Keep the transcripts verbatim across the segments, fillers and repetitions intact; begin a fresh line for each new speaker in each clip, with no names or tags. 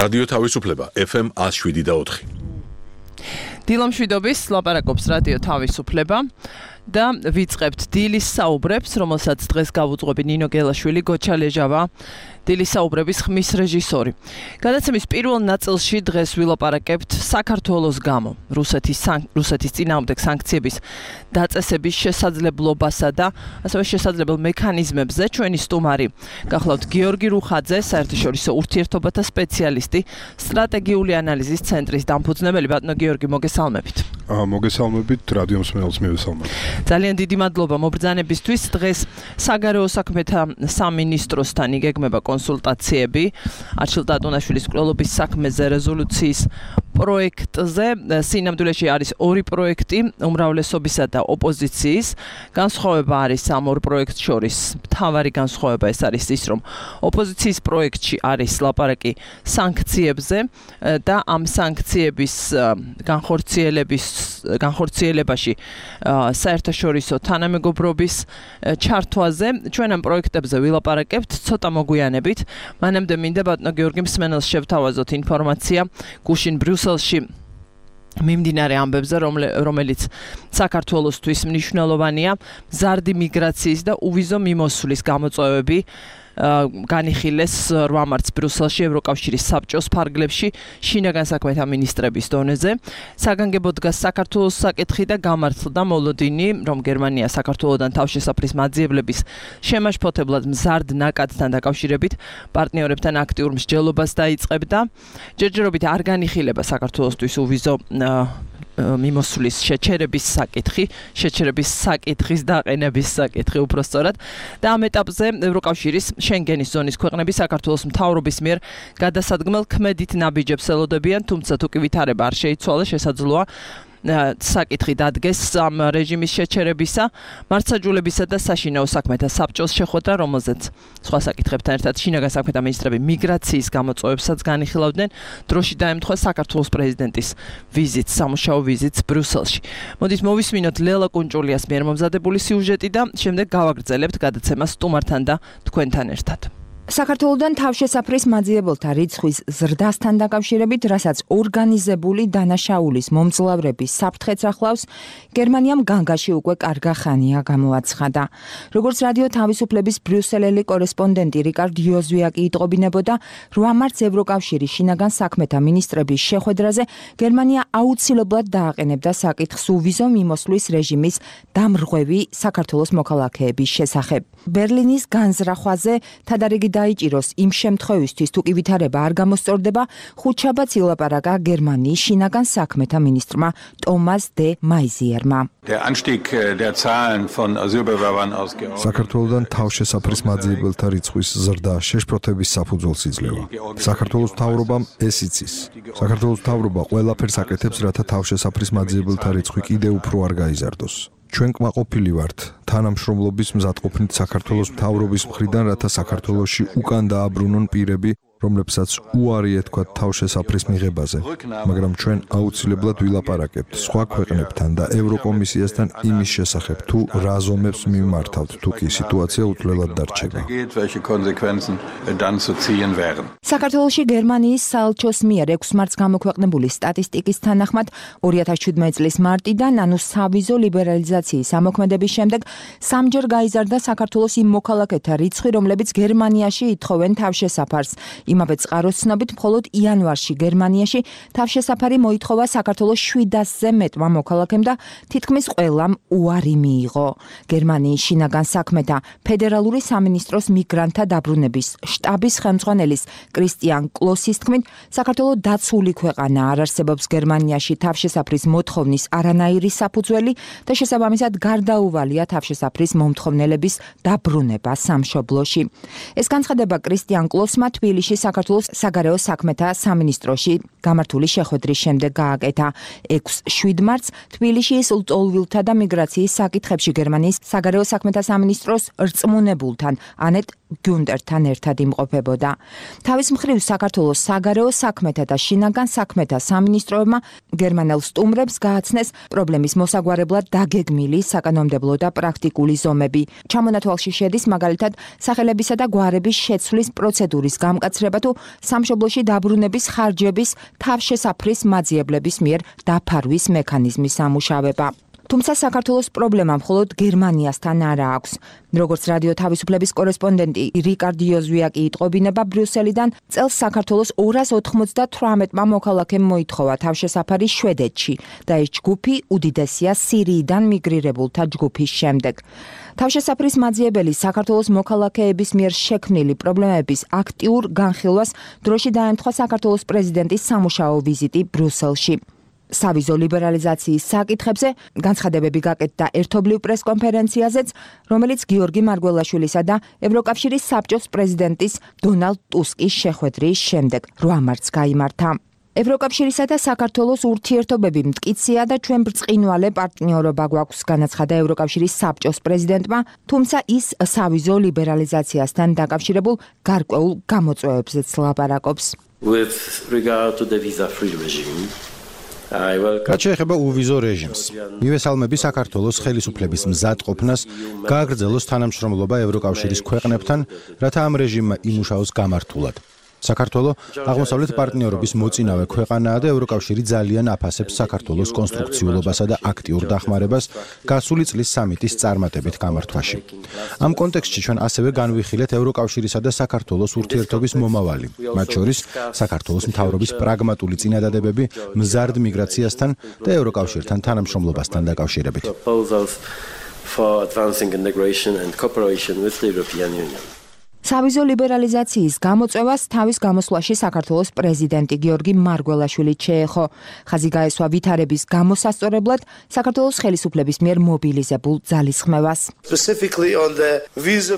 რადიო თავისუფლება ეფ ემ one oh seven და four.
დილამშვიდობის ლაპარაკობს რადიო თავისუფლება და ვიწყებთ დილის საუბრებს, რომელსაც დღეს გავუძღვები ნინო გელაშვილი, გოჩა ლეჟავა, დილის საუბრების ხმის რეჟისორი. გადაცემის პირველ ნაწილში დღეს ვილაპარაკებთ საქართველოს გამო, რუსეთის რუსეთის წინააღმდეგ სანქციების დაწესების შესაძლებლობასა და ასევე შესაძლებელ მექანიზმებზე. ჩვენი სტუმარი გახლავთ გიორგი რუხაძე, საერთაშორისო ურთიერთობათა სპეციალისტი, სტრატეგიული ანალიზის ცენტრის დამფუძნებელი. ბატონო გიორგი, მოგესალმებით.
მოგესალმებით, რადიო მსმენელს მივესალმებით.
ძალიან დიდი მადლობა მობრძანებისთვის. დღეს საგარეო საქმეთა სამინისტროსთან იგეგმება კონსულტაციები არჩილ ტატუნაშვილის მკვლელობის საქმეზე რეზოლუციის პროექტზე. სინამდვილეში არის ორი პროექტი, უმრავლესობისა და ოპოზიციის. განსხვავება არის ამ ორ პროექტს შორის. მთავარი განსხვავება ეს არის ის, რომ ოპოზიციის პროექტში არის ლაპარაკი სანქციებზე და ამ სანქციების განხორციელების განხორციელებაში საერთაშორისო თანამეგობრობის ჩართვაზე. ჩვენ ამ პროექტებზე ვილაპარაკებთ ცოტა მოგვიანებით. მანამდე მინდა ბატონო გიორგი მსმენელს შევთავაზოთ ინფორმაცია გუშინ ბრიუსელში მიმდინარე ამბებზე, რომელიც საქართველოსთვის მნიშვნელოვანია. მზარდი მიგრაციის და უვიზო მიმოსვლის გამოწვევები განიხილეს რვა მარტს ბრიუსელში ევროკავშირის საბჭოს ფარგლებში შინაგან საქმეთა მინისტრების დონეზე. საგანგებო დგას საქართველოს საკითხი და გამართლდა მოლოდინი, რომ გერმანია საქართველოდან თავშესაფრის მაძიებლების შემაშფოთებლად მზარდ ნაკადთან დაკავშირებით პარტნიორებთან აქტიურ მსჯელობას დაიწყებდა. ჯერჯერობით არ განიხილება საქართველოსთვის უვიზო მიმოსვლის შეჩერების საკითხი, შეჩერების საკითხის დაყენების საკითხი უпростоრად და ამ ეტაპზე ევროკავშირის შენგენის ზონის ქვეყნები საქართველოს მთავრობის მიერ გადასადგმელ ქმედით ნაბიჯებს ელოდებიან, თუმცა თუ კი ვითარება არ შეიცვალა, შესაძლოა საკითხი დადგეს ამ რეჟიმის შეჩერებისა, მართლმსაჯულებისა და საშინაო საქმეთა საბჭოს შეხვედრა, რომელზეც სხვა საკითხებთან ერთად შინაგან საქმეთა მინისტრები მიგრაციის გამოწვევებსაც განიხილავდნენ. დროში დაემთხვა საქართველოს პრეზიდენტის ვიზიტს, სამუშაო ვიზიტს ბრიუსელში. მოდით მოვისმინოთ ლელა კუნჭულიას მიერ მომზადებული სიუჟეტი და შემდეგ გავაგრძელებთ გადაცემას სტუმართან და თქვენთან ერთად.
საქართველოდან თავშესაფრის მაძიებელთა რიცხვის ზრდასთან დაკავშირებით, რასაც ორგანიზებული დანაშაულის მომძლავრების საფრთხეც ახლავს, გერმანიამ განგაში უკვე კარგა ხანია გამოაცხადა. როგორც რადიო თავისუფლების ბრიუსელელი კორესპონდენტი რიკარდ იოზვიაკი იტყობინებოდა, რვა მარტს ევროკავშირის შინაგან საქმეთა მინისტრების შეხვედრაზე გერმანია აუცილებლად დააყენებდა საკითხს უვიზო მიმოსვლის რეჟიმის დამრღვევი საქართველოს მოქალაქეების შესახებ. ბერლინის განზრახვაზე თადარიგი დაიჭიროს იმ შემთხვევისთვის, თუ კი ვითარება არ გამოსწორდება, ხუთშაბათს ილაპარაკა გერმანიის შინაგან საქმეთა მინისტრმა ტომას დე მაიზიერმა.
საქართველოდან თავშესაფრის მაძიებელთა რიცხვის ზრდა შეშფოთების საფუძველს იძლევა. საქართველოს მთავრობამ ეს იცის. საქართველოს მთავრობა ყველაფერს აკეთებს, რათა თავშესაფრის მაძიებელთა რიცხვი კიდევ უფრო არ გაიზარდოს. ჩვენ კმაყოფილი ვართ თანამშრომლობის მზადყოფნით საქართველოს მთავრობის მხრიდან, რათა საქართველოში უკან დააბრუნონ პირები, რომლებსაც უარი ეთქვათ თავშესაფრის მიღებაზე, მაგრამ ჩვენ აუცილებლად ვილაპარაკებთ სხვა ქვეყნებთან და ევროკომისიასთან იმის შესახებ, თუ რა ზომებს მიმართავთ, თუ კი სიტუაცია უცვლელად დარჩება.
საქართველოში გერმანიის საელჩოს მიერ ექვსი მარტს გამოქვეყნებული სტატისტიკის თანახმად, ორი ათას შვიდმეტი წლის მარტიდან, ანუ სავიზო ლიბერალიზაციის ამოქმედების შემდეგ, სამჯერ გაიზარდა საქართველოს იმ მოქალაქეთა რიცხვი, რომლებიც გერმანიაში ითხოვენ თავშესაფარს. იმავე წყაროს ცნობით, მხოლოდ იანვარში გერმანიაში თავშესაფარი მოითხოვა საქართველოს შვიდასზე მეტმა მოქალაქემ და თითქმის ყველამ უარი მიიღო. გერმანიის შინაგან საქმეთა ფედერალური სამინისტროს მიგრანტთა დაბრუნების შტაბის ხელმძღვანელის კრისტიან კლოსის თქმით, საქართველო დაცული ქვეყანა, არ არსებობს გერმანიაში თავშესაფრის მოთხოვნის არანაირი საფუძველი და შესაბამისად გარდაუვალია თავშესაფრის მომთხოვნელების დაბრუნება სამშობლოში. ეს განცხადება კრისტიან კლოსმა თბილისში საქართველოს საგარეო საქმეთა სამინისტროში გამართული შეხვედრის შემდეგ გააკეთა. ექვსი შვიდ მარტს თბილისში ლტოლვილთა და მიგრაციის საკითხებში გერმანიის საგარეო საქმეთა სამინისტროს რწმუნებულთან ანეტ გუნდერთან ერთად იმყოფებოდა. თავის მხრივ საქართველოს საგარეო საქმეთა და შინაგან საქმეთა სამინისტროებმა გერმანელ სტუმრებს გააცნეს პრობლემის მოსაგვარებლად დაგეგმილი საკანონმდებლო და პრაქტიკული ზომები. ჩამონათვალში შედის მაგალითად სახელებისა და გვარების შეცვლის პროცედურის გამკაცრება იხსნება თუ სამშობლოში დაბრუნების ხარჯების თავშესაფრის მაძიებლების მიერ დაფარვის მექანიზმის სამუშავება. თუმცა საქართველოს პრობლემა მხოლოდ გერმანიასთან არ აქვს. როგორც რადიო თავისუფლების კორესპონდენტი რიკარდ იოზვიაკი იტყობინება ბრიუსელიდან, წელს საქართველოს ორას ოცდათვრამეტმა მოქალაქემ მოითხოვა თავშესაფარი შვედეთში და ეს ჯგუფი უდიდესია სირიიდან მიგრირებულთა ჯგუფის შემდეგ. თავშესაფრის მაძიებელი საქართველოს მოქალაქეების მიერ შექმნილი პრობლემების აქტიურ განხილვას დროში დაემთხვა საქართველოს პრეზიდენტის სამუშაო ვიზიტი ბრიუსელში. სავიზო ლიბერალიზაციის საკითხებზე განცხადებები გაკეთდა ერთობლივ პრესკონფერენციაზეც, რომელიც გიორგი მარგველაშვილისა და ევროკავშირის საბჭოს პრეზიდენტის დონალდ ტუსკის შეხვედრის შემდეგ რვა მარტს გაიმართა. ევროკავშირისა და საქართველოს ურთიერთობები მტკიცეა და ჩვენ ბრწყინვალე პარტნიორობა გვაქვს, განაცხადა ევროკავშირის საბჭოს პრეზიდენტმა, თუმცა ის სავიზო ლიბერალიზაციასთან დაკავშირებულ გარკვეულ გამოწვევებზეც ლაპარაკობს.
With regard to the visa-free regime,
რაც შეეხება უვიზო რეჟიმს, მივესალმები საქართველოს ხელისუფლების მზადყოფნას გააგრძელოს თანამშრომლობა ევროკავშირის ქვეყნებთან, რათა ამ რეჟიმმა იმუშაოს გამართულად. საქართველო აღმოსავლეთ პარტნიორობის მოწინავე ქვეყანაა და ევროკავშირი ძალიან აფასებს საქართველოს კონსტრუქციულობასა და აქტიურ დახმარებას გასული წლის სამიტის წარმატებით გამართვაში. ამ კონტექსტში ჩვენ ასევე განვიხილეთ ევროკავშირისა და საქართველოს ურთიერთობის მომავალი, მათ შორის საქართველოს მთავრობის პრაგმატული წინადადებები მზარდ მიგრაციასთან და ევროკავშირთან თანამშრომლობასთან დაკავშირებით.
სავიზო ლიბერალიზაციის გამოწვევას თავის გამოსვლაში საქართველოს პრეზიდენტი გიორგი მარგველაშვილი შეეხო. ხაზი გაესვა ვითარების გამოსასწორებლად საქართველოს ხელისუფლების მიერ მობილიზებულ ძალისხმევას.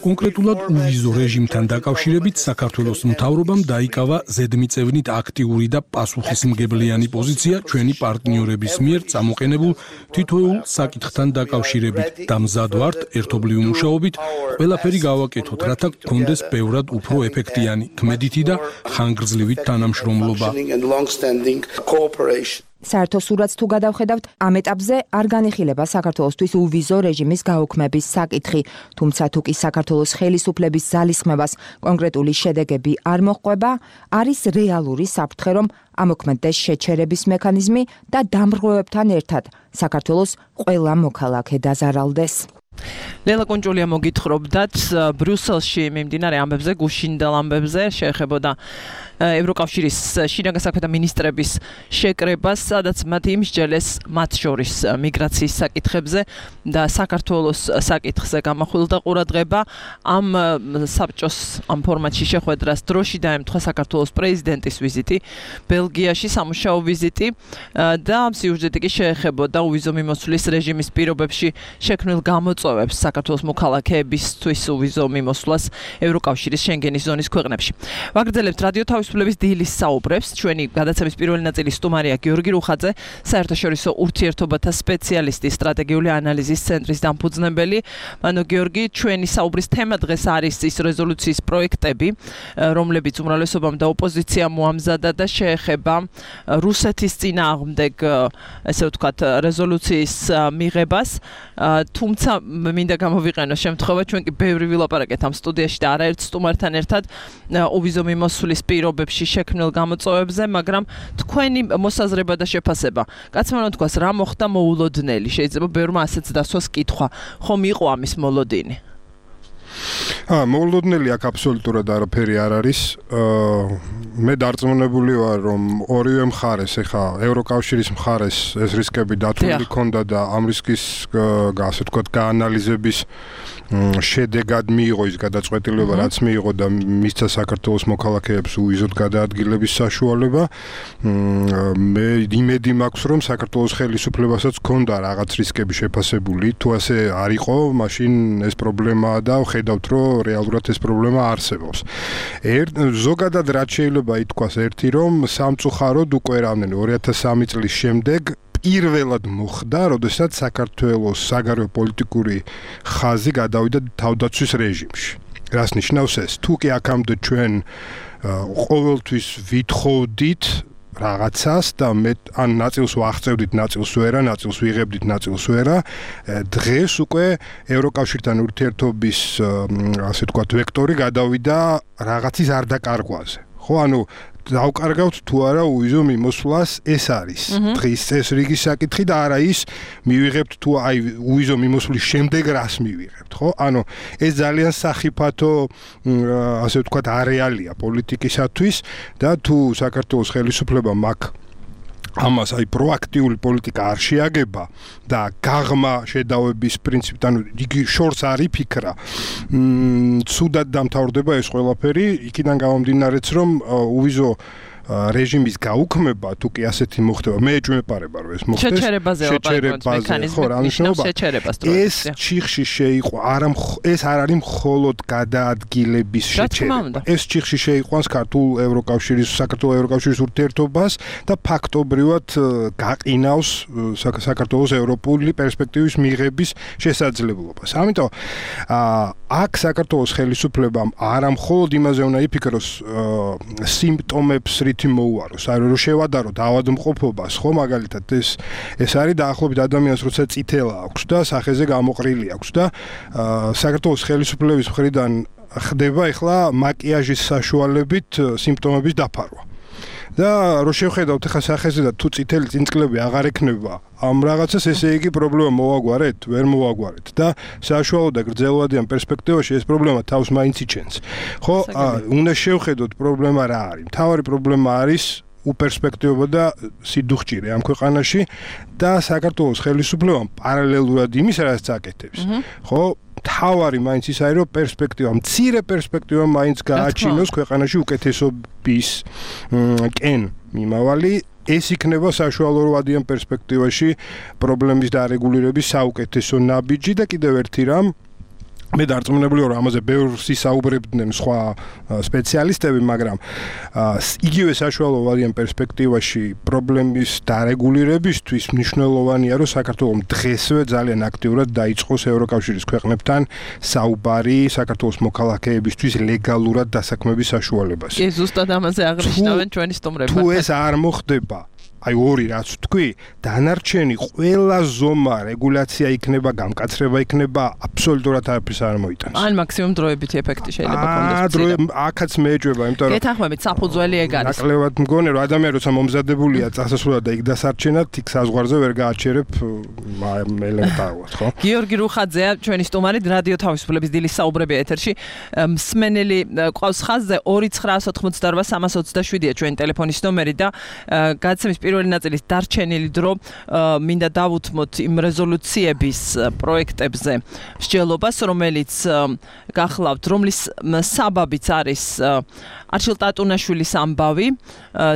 კონკრეტულად უვიზო რეჟიმთან დაკავშირებით საქართველოს მთავრობამ დაიკავა ზედმიწევნით აქტიური და პასუხისმგებლიანი პოზიცია ჩვენი პარტნიორების მიერ წამოყენებულ თითოეულ საკითხთან დაკავშირებით და მზად ვართ ერთობლივი მუშაობით ყველაფერი გავაკეთოთ, რათა გქონდეს ბევრად უფრო ეფექტიანი, თმედითი და ხანგრძლივი თანამშრომლობა.
საერთო სურათს თუ გადავხედავთ, ამ ეტაპზე არ განიხილება საქართველოსთვის უვიზო რეჟიმის გაუქმების საკითხი, თუმცა თუ კი საქართველოს ხელისუფლების ძალისხმევას კონკრეტული შედეგები არ მოჰყვება, არის რეალური საფრთხე, რომ ამოქმედდეს შეჩერების მექანიზმი და დამრღვევებთან ერთად საქართველოს ყველა მოქალაქე დაზარალდეს.
ლელა კონჭოლია მოგითხრობდათ ბრიუსელში მიმდინარე ამბებზე, გუშინდელ ამბებზე შეეხებოდა ევროკავშირის შინაგან საქმეთა მინისტრების შეკრებას, სადაც მათ იმსჯელეს მათ შორის მიგრაციის საკითხებზე და საქართველოს საკითხზე გამახვილდა ყურადღება. ამ საბჭოს ამ ფორმატში შეხვედრას დროში დაემთხვა საქართველოს პრეზიდენტის ვიზიტი ბელგიაში, სამუშაო ვიზიტი და ამ სიუჟეტი კი შეეხებოდა უვიზო მიმოსვლის რეჟიმის პირობებში შექმნილ გამოწვევებს საქართველოს მოქალაქეებისთვის უვიზო მიმოსვლას ევროკავშირის შენგენის ზონის ქვეყნებში. ვაგრძელებთ რადიო თავისუფლების დილის საუბრებს. ჩვენი გადაცემის პირველი ნაწილი სტუმარია გიორგი რუხაძე, საერთაშორისო ურთიერთობათა სპეციალისტი, სტრატეგიული ანალიზის ცენტრის დამფუძნებელი. მანო გიორგი, ჩვენი საუბრის თემა დღეს არის ის რეზოლუციის პროექტები, რომლებიც უმრავლესობამ და ოპოზიციამ მოამზადა და შეეხება რუსეთის წინააღმდეგ, ესე ვთქვათ, რეზოლუციის მიღებას. თუმცა მინდა გამოვიყენო შემთხვევა, ჩვენ კი ბევრი ვილაპარაკეთ ამ სტუდიაში და არაერთ სტუმართან ერთად უვიზო მიმოსვლის პირობებში შექმნილ გამოწვევებზე, მაგრამ თქვენი მოსაზრება და შეფასება, კაცმა რომ თქვას, რა მოხდა მოულოდნელი, შეიძლება ბევრმა ასეც დასვას კითხვა, ხომ იყო ამის მოლოდინი?
აა მოულოდნელი აქ აბსოლუტურად არაფერი არ არის. მე დარწმუნებული ვარ, რომ ორივე მხარეს, ეხა ევროკავშირის მხარეს ეს რისკები დათვლილი ქონდა და ამ რისკის ასე ვთქვათ გაანალიზების შედეგად მიიღო ის გადაწყვეტილება, რაც მიიღო და მისცა საქართველოს მოქალაქეებს უვიზოდ გადაადგილების საშუალება. მე იმედი მაქვს, რომ საქართველოს ხელისუფლებასაც ქონდა რაღაც რისკები შეფასებული, თუ ასე არ იყო, მაშინ ეს პრობლემაა და ხედავთ, რომ რეალურად ეს პრობლემა არსებობს. ზოგადად რაც შეიძლება ითქვას ერთი, რომ სამწუხაროდ უკვე რამდენი ორი ათას სამი წლის შემდეგ პირველად მოხდა, როდესაც საქართველოს საგარეო პოლიტიკური ხაზი გადავიდა თავდაცვის რეჟიმში. რას ნიშნავს ეს? თუ კი აქამდე ჩვენ ყოველთვის ვითხოვდით რაღაცას და მე ან ნაწილს ვაღწევდით, ნაწილს ვერა, ნაწილს ვიღებდით, ნაწილს ვერა, დღეს უკვე ევროკავშირთან ურთიერთობის ასე ვთქვათ ვექტორი გადავიდა რაღაცის არ დაკარგვაზე. ხო, ანუ დავკარგავთ თუ არა უვიზო მიმოსვლას ეს არის დღის წესრიგის საკითხი და არა ის მივიღებთ თუ აი უვიზო მიმოსვლის შემდეგ რას მივიღებთ, ხო? ანუ ეს ძალიან სახიფათო ასე ვთქვათ არეალია პოლიტიკისათვის და თუ საქართველოს ხელისუფლებამ აქ ამას აი პროაქტიული პოლიტიკა არ შეაგება და გაღმა შედავების პრინციპით, ანუ იგი შორს არ იფიქრა, მ ცუდად დამთავრდება ეს ყველაფერი, იქიდან გამომდინარეც რომ უვიზო რეჟიმის გაუქმება თუ კი ასეთი მოხდება, მე ეჭვმეპარება რომ ეს მოხდეს.
შეჩერებაზე მექანიზმი შეჩერებას დროებით.
ეს ჩიხში შეიყო, არა ეს არ არის მხოლოდ გადაადგილების შეჩერება. ეს ჩიხში შეიყვანს ქართულ ევროკავშირის, საქართველოს ევროკავშირის ურთიერთობას და ფაქტობრივად გაყინავს საქართველოს ევროპული პერსპექტივის მიღების შესაძლებლობას. ამიტომ აქ საქართველოს ხელისუფლებამ არა მხოლოდ იმაზე უნდა იფიქროს სიმპტომებს თი მოუაროს, არ რომ შევადაროთ ავადმყოფობას, ხო, მაგალითად ეს ეს არის დაახლოებით ადამიანს როცა წითელა აქვს და სახეზე გამოყრილი აქვს და საქართველოს ხელისუფლების მხრიდან ხდება ახლა მაკიაჟის საშუალებით სიმპტომების დაფარვა. და რო შევხედავთ ახლა სახეზე და თუ წითელი წინწკლები აღარ ექნება ამ რაღაცას, ესე იგი პრობლემა მოვაგვარეთ, ვერ მოვაგვარეთ და საშუალო და გრძელვადიან პერსპექტივაში ეს პრობლემა თავს მაინც იჩენს. ხო, უნდა შევხედოთ პრობლემა რა არის. მთავარი პრობლემა არის უპერსპექტივობა და სიდუხჭირე ამ ქვეყანაში და საქართველოს ხელისუფლებამ პარალელურად იმის რაც აკეთებს. ხო, თავარი მაინც ის არის რომ პერსპექტივა, მცირე პერსპექტივა მაინც გააჩინოს ქვეყანაში უკეთესობის კენ მიმავალი, ეს იქნება საშუალო რვადიან პერსპექტივაში პრობლემის დარეგულირების საუკეთესო ნაბიჯი და კიდევ ერთი რამ მე დარწმუნებული ვარ, ამაზე ბევრს ისაუბრებდნენ სხვა სპეციალისტები, მაგრამ იგივე საშუალო ვარიან პერსპექტივაში პრობლემის დარეგულირებისთვის მნიშვნელოვანია, რომ საქართველოს დღესვე ძალიან აქტიურად დაიწყოს ევროკავშირის ქვეყნებთან საუბარი საქართველოს მოქალაქეებისთვის ლეგალურად დასაქმების საშუალებას.
კი, ზუსტად ამაზე აღნიშნავენ ჩვენი სტუმრები.
თუ ეს არ მოხდება, აი ორი რაც თქვი, დანარჩენი ყველა ზომა რეგულაცია იქნება, გამკაცრება იქნება, აბსოლუტურად არაფერს არ მოიტანს.
ან მაქსიმუმ დროებითი ეფექტი შეიძლება კონდეს.
აა, დროე აქაც მეეჭვება, იმიტომ რომ
გეთანხმებით, საფუძველი ეგ არის.
ნაკლებად მგონი რომ ადამიანი როცა მომზადებულია წასასვლელად და იქ დასარჩენად, იქ საზღვარზე ვერ გააჩერებ ელემენტარულად, ხო?
გიორგი რუხაძეა ჩვენი სტუმარი, რადიო თავისუფლების დილის საუბრები ეთერში. მსმენელი ყავს ხაზზე ორი ცხრაას ოთხმოცდაორვა სამას ოცდაშვიდია ჩვენი ტელეფონის ნომერი და გადაცემის პირველი ნაწილის დარჩენილი დრო მინდა დავუთმოთ იმ რეზოლუციების პროექტებზე მსჯელობას, რომელიც გახლავთ, რომლის საბაბიც არის არჩილ ტატუნაშვილის ამბავი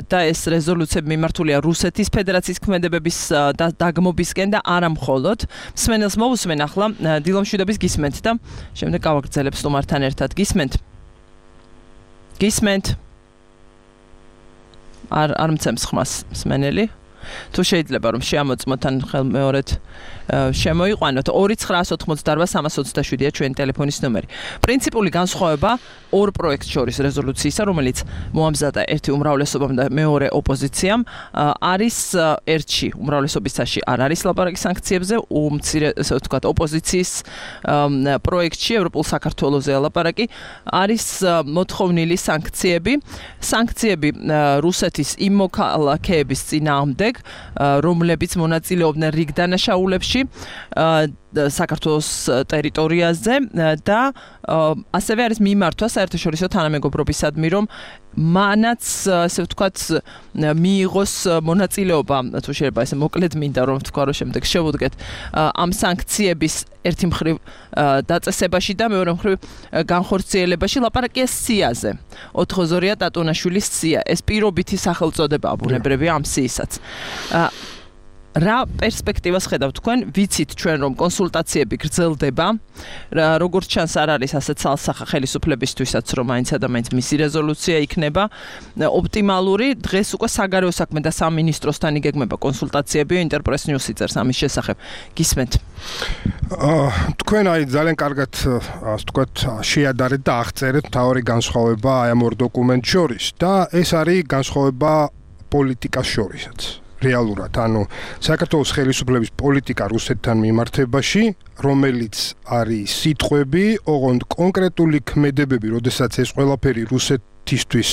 და ეს რეზოლუციები მიმართულია რუსეთის ფედერაციის ქმედებების დაგმობისკენ და არა მხოლოდ. მსმენელს მოვუსმენ ახლა დილომშვიდობის გისმენთ და შემდეგ გავაგრძელებ სტუმართან ერთად. გისმენთ? გისმენთ? არ არ მცემს ხმას მსმენელი. თუ შეიძლება რომ შეამოწმოთ ან ხელმეორედ შემოიყვანოთ ორი ცხრაას ოთხმოცდაორვა სამას ოცდაშვიდია ჩვენი ტელეფონის ნომერი. პრინციპული განსხვავება ორ პროექტს შორის რეზოლუციისა, რომელიც მოამზადა ერთი უმრავლესობამ და მეორე ოპოზიციამ, არის ერთში უმრავლესობისაში არ არის ლაპარაკი სანქციებზე, უმცირე ესე ვთქვათ ოპოზიციის პროექტში ევროპულ საქართველოსზე ლაპარაკი არის მოთხოვნილი სანქციები. სანქციები რუსეთის იმ მოქალაქეების წინააღმდეგ, რომლებიც მონაწილეობდნენ რიგ დანაშაულებში საქართველოს ტერიტორიაზე და ასევე არის მიმართვა საერთაშორისო თანამეგობრობისადმი, რომ მანაც ასე ვთქვათ მიიღოს მონაწილეობა, თუ შეიძლება ესე მოკლედ მინდა რომ ვთქვა, რომ შემდეგ შევუდგეთ ამ სანქციების ერთი მხრივ დაწესებაში და მეორე მხრივ განხორციელებაში. ლაპარაკია სიაზე. ოთხოზორია ტატუნაშვილის სია. ეს პირობითი სახელწოდებაა ბუნებრივია ამ სიისაც. რა პერსპექტივას ხედავთ თქვენ? ვიცით ჩვენ რომ კონსულტაციები გრძელდება, როგორც ჩანს არ არის ასე ცალსახა ხელისუფლებისთვისაც, რომ მაინც და მაინც მისი რეზოლუცია იქნება ოპტიმალური. დღეს უკვე საგარეო საქმეთა სამინისტროსთან იგეგმება კონსულტაციები, ინტერპრეს ნიუსი წერს ამის შესახებ. გისმენთ?
თქვენ აი ძალიან კარგად ასე ვთქვათ შეადარეთ და აღწერეთ მთავარი განსხვავება აი ამ ორ დოკუმენტს შორის და ეს არის განსხვავება პოლიტიკას შორისაც. რეალურად, ანუ საქართველოს ხელისუფლების პოლიტიკა რუსეთთან მიმართებაში, რომელიც არის სიტყვები, ოღონდ კონკრეტული ქმედებები, როდესაც ეს ყველაფერი რუსეთ ერთისთვის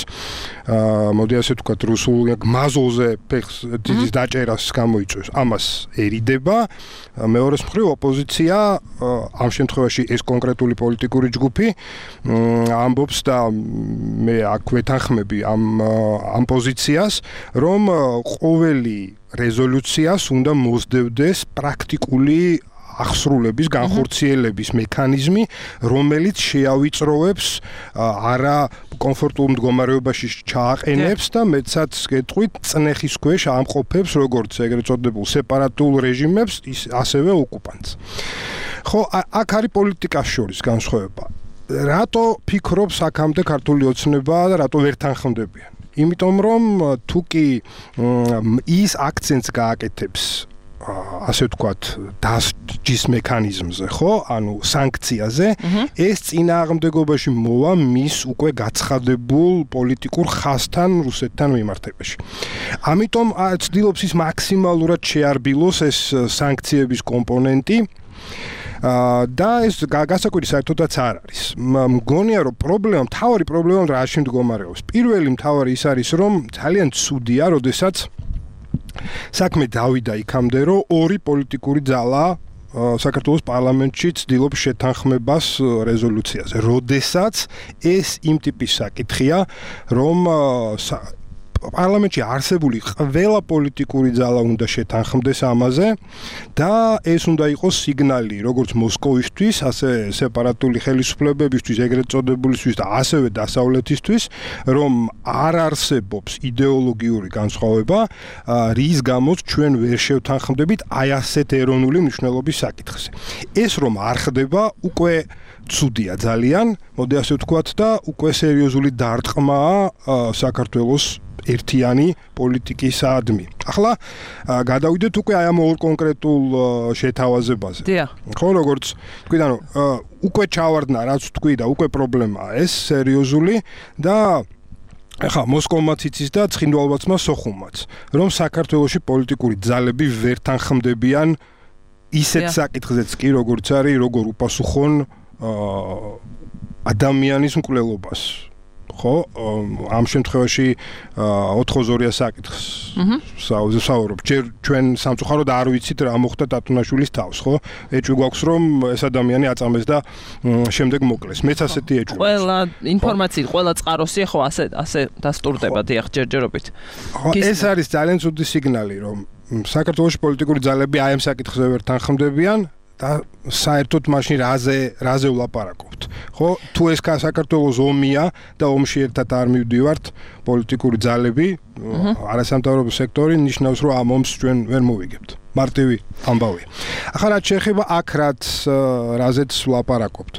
მოდი ასე ვთქვათ რუსულ მაზოზე ფეხს დიდი დაჭერას გამოიწვევს ამას ერიდება მეორეს მხრივ ოპოზიცია ამ შემთხვევაში ეს კონკრეტული პოლიტიკური ჯგუფი ამბობს და მე აქ ვეთანხმები ამ ამ პოზიციას რომ ყოველი რეზოლუციას უნდა მოსდევდეს პრაქტიკული ახსრულების, განხორციელების მექანიზმი, რომელიც შეავიწროვებს არა კომფორტულ მდგომარეობაში ჩააყენებს და მეცაც გეტყვით წნეხის ქვეშ ამყოფებს როგორც ეგრეთ წოდებულ სეპარატულ რეჟიმებს, ასევე ოკუპანტს. ხო, აქ არის პოლიტიკას შორის განსხვავება. რატო ფიქრობს აქამდე ქართული ოცნება და რატო ვერ თანხმდებიან? იმიტომ რომ თუ კი ის აქცენტს გააკეთებს ასე ვთქვათ დასჯის მექანიზმზე, ხო? ანუ სანქციაზე, ეს წინააღმდეგობაში მოვა მის უკვე გაცხადებულ პოლიტიკურ ხაზთან რუსეთთან მიმართებაში. ამიტომ ცდილობს ის მაქსიმალურად შეარბილოს ეს სანქციების კომპონენტი და ეს გასაკვირი საერთოდაც არ არის. მგონია რომ პრობლემა, მთავარი პრობლემა რაში მდგომარეობს. პირველი მთავარი ის არის რომ ძალიან ცუდია, როდესაც საქმე დავიდა იქამდე, რომ ორი პოლიტიკური ძალა საქართველოს პარლამენტში ცდილობს შეთანხმებას რეზოლუციაზე. როდესაც ეს იმ ტიპის საკითხია, რომ პარლამენტში არსებული ყველა პოლიტიკური ძალა უნდა შეთანხმდეს ამაზე და ეს უნდა იყოს სიგნალი როგორც მოსკოვისთვის, ასე სეპარატული ხელისუფლებებისთვის, ეგრეთ წოდებულისთვის და ასევე დასავლეთისთვის, რომ არ არსებობს იდეოლოგიური განსხვავება, რის გამოც ჩვენ ვერ შევთანხმდებით აი ასეთ ეროვნული მნიშვნელობის საკითხზე. ეს რომ არ ხდება, უკვე ცუდია ძალიან, მოდი ასე ვთქვათ და უკვე სერიოზული დარტყმაა საქართველოს ერთიანი პოლიტიკისადმი. ახლა გადავიდეთ უკვე აი ამ ორ კონკრეტულ შეთავაზებაზე. ხო, როგორც თქვი და უკვე ჩავარდნა, რაც თქვი და უკვე პრობლემაა ეს სერიოზული და ახლა მოსკოვმაც იცის და ცხინვალბაცმა სოხუმაც, რომ საქართველოში პოლიტიკური ძალები ვერ თანხმდებიან ისეთ საკითხზეც კი, როგორც არის როგორ უპასუხონ ადამიანის მკვლელობას. ხო, ამ შემთხვევაში ოთხ-ორი საკითხს საუბრობ. ჯერ ჩვენ სამწუხაროდ არ ვიცით რა მოხდა ტატუნაშვილის თავს, ხო? ეჭვი გვაქვს რომ ეს ადამიანი აწამეს და შემდეგ მოკლეს. მეც ასეთი ეჭვი.
ყველა ინფორმაციით, ყველა წყაროსი ხო ასე ასე დასტურდება დიახ ჯერჯერობით.
ეს არის ძალიან ცუდი სიგნალი, რომ საქართველოს პოლიტიკური ძალები აი ამ საკითხზე ვერ თანხმდებიან და საერთოდ მაშინ რაზე რაზე ვლაპარაკობთ. ხო, თუ ეს საქართველოს ომია და ომში ერთად არ მივდივართ პოლიტიკური ძალები, არასამთავრობო სექტორი ნიშნავს რომ ამ ომს ჩვენ ვერ მოვიგებთ. მარტივი ამბავია. ახლა რაც შეეხება აქ რაც რაზეც ვლაპარაკობთ.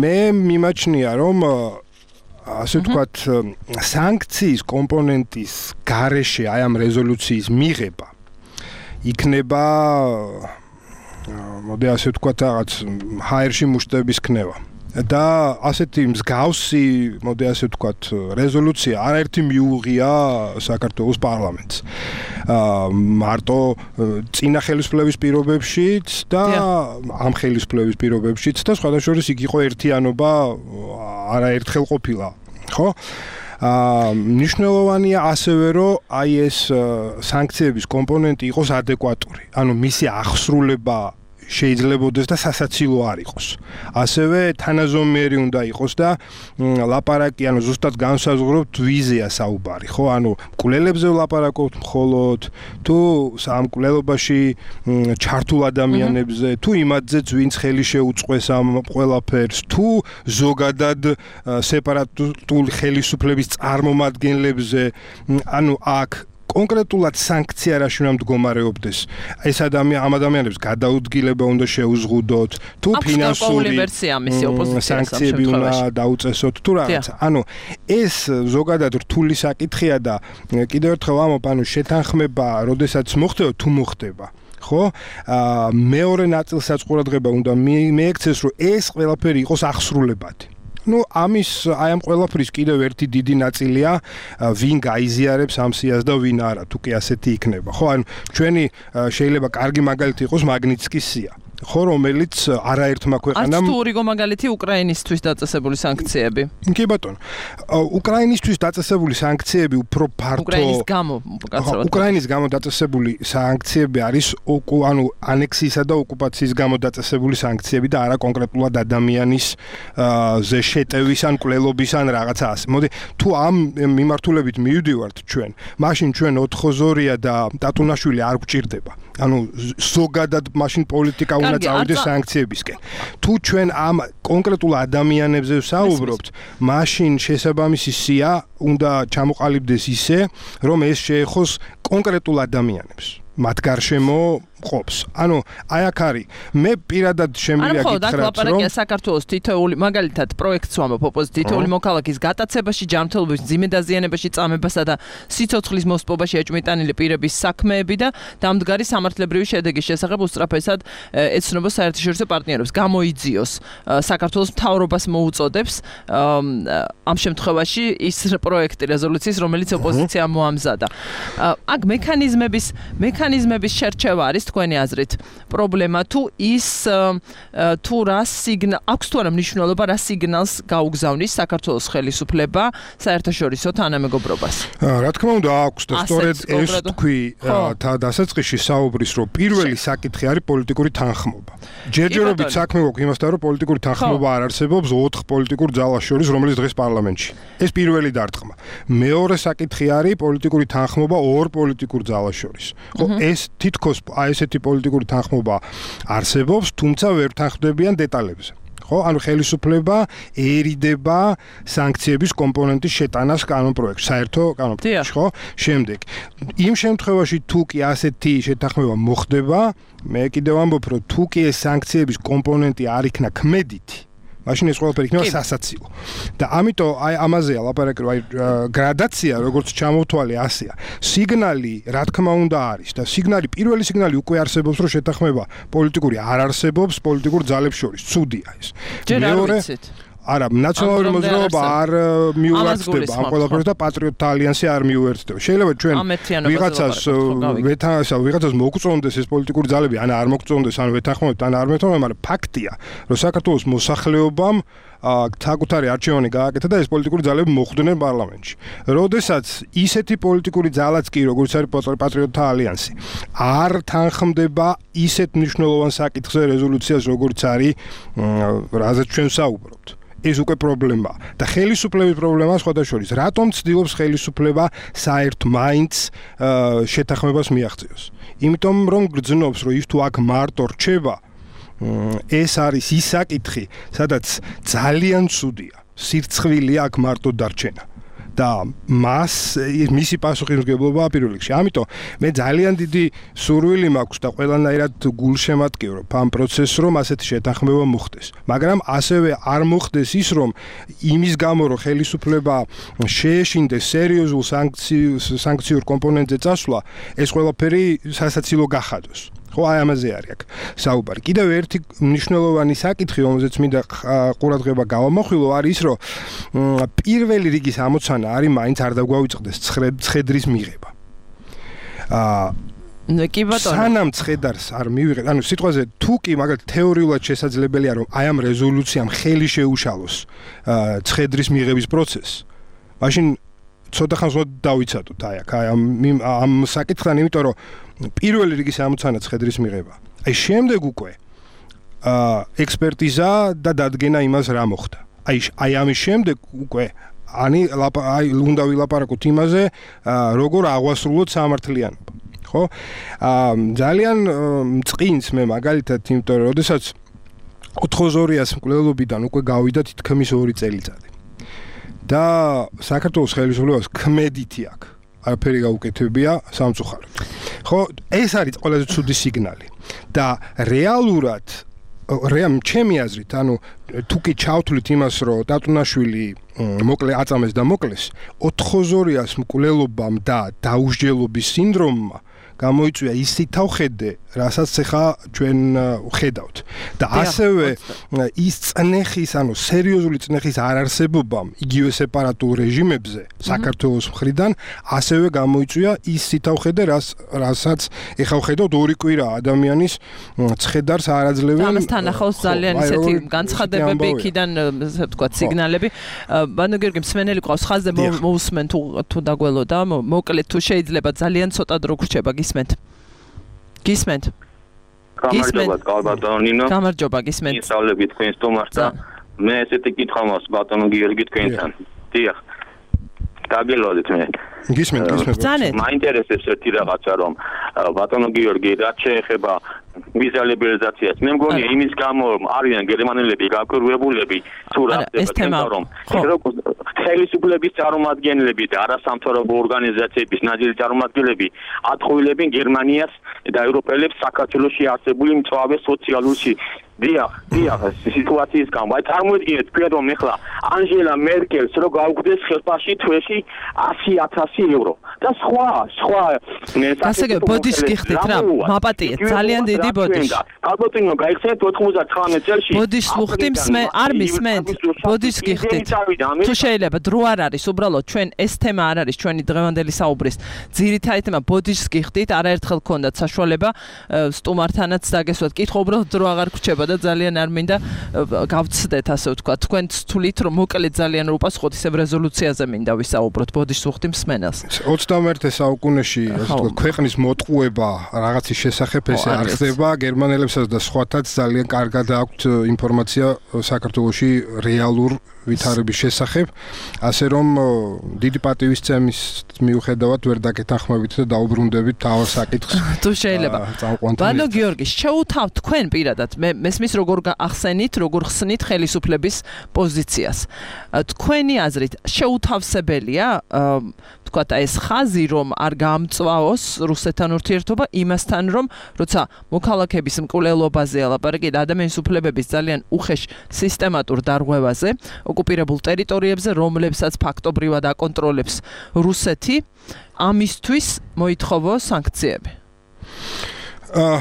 მე მიმაჩნია რომ ასე ვთქვათ სანქციის კომპონენტის გარეშე აი ამ რეზოლუციის მიღება იქნება მოდი ასე ვთქვათ რაღაც ჰაერში მუშტების ქნევა და ასეთი მსგავსი მოდი ასე ვთქვათ რეზოლუცია არაერთი მიუღია საქართველოს პარლამენტს მარტო წინა ხელისუფლების პირობებშიც და ამ ხელისუფლების პირობებშიც და სხვადასხვა იქ იყო ერთიანობა არაერთხელ ყოფილა ხო აა ნიშნულოვანია ასევე რომ აი ეს სანქციების კომპონენტი იყოს ადეკვატური ანუ მისი აღსრულება შეიძლებოდეს და სასაცილო არ იყოს. ასევე თანაზომიერი უნდა იყოს და ლაპარაკი, ანუ ზუსტად განსაზღვროთ ვიზია საუბარი, ხო? ანუ მკვლელებზე ვლაპარაკობთ მხოლოდ, თუ ამ მკვლელობაში ჩართულ ადამიანებზე, თუ იმათზეც ვინც ხელი შეუწყვეს ამ ყველაფერს, თუ ზოგადად სეპარატული ხელისუფლების წარმომადგენლებზე, ანუ აქ კონკრეტულად სანქცია რაში უნდა მდგომარეობდეს. ეს ადამიან ამ ადამიანებს გადაუდგილება უნდა შეუზღუდოთ, თუ ფინანსური სანქციები უნდა დაუწესოთ, თუ რაღაცა. ანუ ეს ზოგადად რთული საკითხია და კიდევ ერთხელ ვამბობ, ანუ შეთანხმება, როდესაც მოხდება, თუ მოხდება. ხო? აა მეორე ნაწილსაც ყურადღება უნდა მიექცეს, რომ ეს ყველაფერი იყოს აღსრულებადი. ну ამის აი ამ ყველაფრის კიდევ ერთი დიდი ნაწილია ვინ გაიზიარებს ამ სიას და ვინ არა თუ კი ასეთი იქნება ხო ანუ ჩვენი შეიძლება კარგი მაგალითი იყოს მაგნიცკის სია ხო, რომელიც არაერთმა ქვეყანამ
არც თუ რიგო მაგალითი უკრაინისთვის დაწესებული სანქციები.
კი ბატონო. უკრაინისთვის დაწესებული სანქციები უფრო ფართო
უკრაინის გამო,
კაცრავად. უკრაინის გამო დაწესებული სანქციები არის ანუ ანექსიისა და ოკუპაციის გამო დაწესებული სანქციები და არა კონკრეტულად ადამიანის ზე შეტევის ან კვლელობის ან რაღაცა ასე. მოდი, თუ ამ მიმართულებით მივდივართ ჩვენ, მაშინ ჩვენ ოთხოზორია და ტატუნაშვილი არ გვჭირდება. ანუ ზოგადად მაშინ პოლიტიკა უნდა წავიდეს სანქციებისკენ. თუ ჩვენ ამ კონკრეტულ ადამიანებზე ვსაუბრობთ, მაშინ შესაბამისი სია უნდა ჩამოყალიბდეს ისე, რომ ეს შეეხოს კონკრეტულ ადამიანებს. მათ გარშემო ყოფს. ანუ აი აქ არის მე პირადად შემიძლია გითხრათ, რომ
ლაპარაკია საქართველოს თითოეული მაგალითად პროექტს ვამბობ ოპოზიციის თითოეული მოქალაქის გატაცებაში, ჯანმრთელობის მძიმე დაზიანებაში, წამებასა და სიცოცხლის მოსპობაში ეჭვმიტანილი პირების საქმეები და დამდგარი სამართლებრივი შედეგის შესახებ უსწრაფესად ეცნობა საერთაშორისო პარტნიორებს. გამოიძიოს საქართველოს მთავრობას მოუწოდებს ამ შემთხვევაში ის პროექტი რეზოლუციის, რომელიც ოპოზიცია მოამზადა. აქ მექანიზმების მექანიზმების შერჩევა არის თქვენი აზრით პრობლემა თუ ის თუ რა სიგნალ აქვს თუ არა მნიშვნელობა რა სიგნალს გაუგზავნის საქართველოს ხელისუფლება საერთაშორისო თანამეგობრობას?
რა თქმა უნდა აქვს და სწორედ ეს თქვი დასაწყისში საუბრის რომ პირველი საკითხი არის პოლიტიკური თანხმობა. ჯერჯერობით საქმე გვაქვს იმასთან რომ პოლიტიკური თანხმობა არ არსებობს ოთხ პოლიტიკურ ძალას შორის რომელიც დღეს პარლამენტში. ეს პირველი დარტყმა. მეორე საკითხი არის პოლიტიკური თანხმობა ორ პოლიტიკურ ძალას შორის. ხო ეს თითქოს აი ესეთი პოლიტიკური თანხმობა არსებობს, თუმცა ვერ თანხმდებიან დეტალებზე. ხო, ანუ ხელისუფლება ერიდება სანქციების კომპონენტის შეტანას კანონპროექტში, საერთო კანონპროექტში, ხო? შემდეგ, იმ შემთხვევაში თუ კი ასეთი შეთანხმება მოხდება, მე კიდევ ამბობ, რომ თუ კი ეს სანქციების კომპონენტი არ იქნა ქმედითი, მაშინ ეს ყველაფერი იქნება სასაცილო. და ამიტომ აი ამაზეა ლაპარაკი, რომ აი გრადაცია როგორც ჩამოვთვალე ასეა. სიგნალი რა თქმა უნდა არის და სიგნალი პირველი სიგნალი უკვე არსებობს, რომ შეთანხმება პოლიტიკური არ არსებობს პოლიტიკურ ძალებს შორის. ცუდია ეს.
მეორე
არა, ნაციონალური მოძრაობა არ მიუერთდება ამ ყველაფერს და პატრიოტთა ალიანსი არ მიუერთდება. შეიძლება ჩვენ ვიღაცას ვეთანხმოთ, ვიღაცას მოგწონდეს ეს პოლიტიკური ძალები, ან არ მოგწონდეს, ან ვეთანხმოთ, ან არ ვეთანხმოთ, მაგრამ ფაქტია, რომ საქართველოს მოსახლეობამ საკუთარი არჩევანი გააკეთა და ეს პოლიტიკური ძალები მოხვდნენ პარლამენტში. როდესაც ისეთი პოლიტიკური ძალაც კი, როგორც არის პატრიოტთა ალიანსი, არ თანხმდება ისეთ მნიშვნელოვან საკითხზე რეზოლუციას, როგორც არის, რაზეც ჩვენ საუბრობთ. ეს უკვე პრობლემაა და ხელისუფლების პრობლემაა სხვადასხვა. რატომ ცდილობს ხელისუფლება საერთ მაინც შეთანხმებას მიაღწიოს? იმიტომ რომ გრძნობს, რომ ის თუ აქ მარტო რჩება, ეს არის ის საკითხი, სადაც ძალიან ცუდია. სირცხვილია აქ მარტო დარჩენა. და მას მისი პასუხისმგებლობა პირველ რიგში. ამიტომ მე ძალიან დიდი სურვილი მაქვს და ყველანაირად გულშემატკივრობ ამ პროცესს, რომ ასეთი შეთანხმება მოხდეს. მაგრამ ასევე არ მოხდეს ის, რომ იმის გამო, რომ ხელისუფლება შეეშინდეს სერიოზულ სანქციურ კომპონენტზე წასვლა, ეს ყველაფერი სასაცილო გახადოს. ხო, აი ამაზე არის აქ საუბარი. კიდევ ერთი მნიშვნელოვანი საკითხი, რომელზეც მინდა ყურადღება გავამახვილო, არის ის, რომ პირველი რიგის ამოცანა არის მაინც არ დაგვავიწყდეს ცხედრის მიღება.
აა კი ბატონო.
სანამ ცხედარს არ მივიღეთ, ანუ სიტყვაზე თუ კი მაგალითად თეორიულად შესაძლებელია, რომ აი ამ რეზოლუციამ ხელი შეუშალოს ცხედრის მიღების პროცესს, მაშინ ცოტა ხანს დავიცადოთ აი აქ ამ ამ საკითხთან, იმიტომ რომ პირველი რიგის ამოცანა ცხედრის მიღება. აი შემდეგ უკვე აა ექსპერტიზა და დადგენა იმას რა მოხდა. აი აი ამის შემდეგ უკვე ანი აი უნდა ვილაპარაკოთ იმაზე, როგორ აღვასრულოთ სამართლიანობა. ხო? აა ძალიან მწყინს მე მაგალითად, იმიტომ რომ შესაძაც ოთხოზორიას მკვლელობიდან უკვე გავიდა თითქმის ორი წელიწადი. და საქართველოს ხელისუფლებას ქმედითი აქვს. არაფერი გაუკეთებია სამწუხაროდ. ხო, ეს არის ყველაზე ცუდი სიგნალი. და რეალურად რეამ ჩემი აზრით, ანუ თუ კი ჩავთვლით იმას, რომ ტატუნაშვილი მოკლე აწამეს და მოკლეს, ოთხოზორიას მკვლელობამ და დაუსჯელობის სინდრომმა გამოიწვია ის თვითავხედე, რასაც ახლა ჩვენ ვხედავთ. და ასევე ის წნეხის, ანუ სერიოზული წნეხის არარსებობამ იგივე სეპარატულ რეჟიმებზე საქართველოს მხრიდან ასევე გამოიწვია ის თვითავხედე, რასაც ახლა ვხედავთ ორი კვირა ადამიანის ცხედარს არაძლევენ.
ამასთან ახლოს ძალიან ისეთი განცხადებები იქიდან, ასე ვთქვათ, სიგნალები. ბანო გიორგი მსმენელი ყავს ხაზზე, მოусმენ თუ თუ დაგველოდა, მოკლედ თუ შეიძლება ძალიან ცოტა დრო გრჩება, გისმენთ? გისმენთ?
გამარჯობა, ბატონო ნინო.
გამარჯობა, გისმენთ.
ისავლები თქვენ სტუმარს და მე ესეთი კითხვა მაქვს ბატონო გიორგი თქვენთან. დიახ. დაგელოდეთ მე.
გისმენთ, გისმენთ.
მაინტერესებს ერთი რაღაცა, რომ ბატონო გიორგი რაც შეეხება ვიზა ლიბერალიზაციას. მე მგონია იმის გამო რომ არიან გერმანელები გაკვირვებულები თუ რა ხდება, რომ ხელისუფლების წარმომადგენლები და არასამთავრობო ორგანიზაციების ნაძილი წარმომადგენლები ატყუილებენ გერმანიას და ევროპელებს საქართველოში არსებული მწვავე სოციალური დიახ, დიახ, სიტუაციის გამო. აი წარმოიდგინეთ, თქვენ რომ ეხლა ანჟელა მერკელს რო გაუგდეს ხელფასში თვეში ასი ათასი ევრო და სხვა, სხვა
ასე ბოდიშს გიხდით რა, მაპატიეთ, ძალიან დიდი ბოდიში.
ალბათინო გაიხსენეთ ოთხმოცდათვრამეტ წელში.
ბოდიშს ვუხდი მსმენ, არ მისმენთ. ბოდიშს გიხდით. თუ შეიძლება დრო არ არის, უბრალოდ ჩვენ ეს თემა არ არის ჩვენი დღევანდელი საუბრის ძირითადი თემა. ბოდიშს გიხდით, არაერთხელ გქონდათ საშუალება სტუმართანაც დაგესვათ. კითხვა უბრალოდ დრო აღარ გრჩება და ძალიან არ მინდა გავცდეთ, ასე ვთქვათ. თქვენ თulit რომ მოკლედ ძალიან რო უპასუხოთ ისევ რეზოლუციაზე მინდა ვისაუბროთ. ბოდიშს ვუხდი მსმენელს.
ოცდამეერთე საუკუნეში ქვეყნის მოტყუება რაღაცის შესახებ ესე არ ხდება. გერმანელებსაც და სხვათაც ძალიან კარგად აქვთ ინფორმაცია საქართველოში რეალურ ვითარების შესახებ, ასე რომ დიდი პატივისცემის მიუხედავად ვერ დაგეთანხმებით და დაუბრუნდებით თავ საკითხს.
თუ შეიძლება. ბანო გიორგი, შეუთავთ თქვენ პირადად მე მესმის როგორ ახსენით, როგორ ხსნით ხელისუფლების პოზიციას. თქვენი აზრით შეუთავსებელია ვთქვათ ეს ხაზი რომ არ გამწვაოს რუსეთთან ურთიერთობა იმასთან რომ როცა მოქალაქეების მკვლელობაზე ალაპარაკი და ადამიანის უფლებების ძალიან უხეშ სისტემატურ დარღვევაზე ოკუპირებულ ტერიტორიებზე რომლებსაც ფაქტობრივად აკონტროლებს რუსეთი ამისთვის მოითხოვო სანქციები.
აა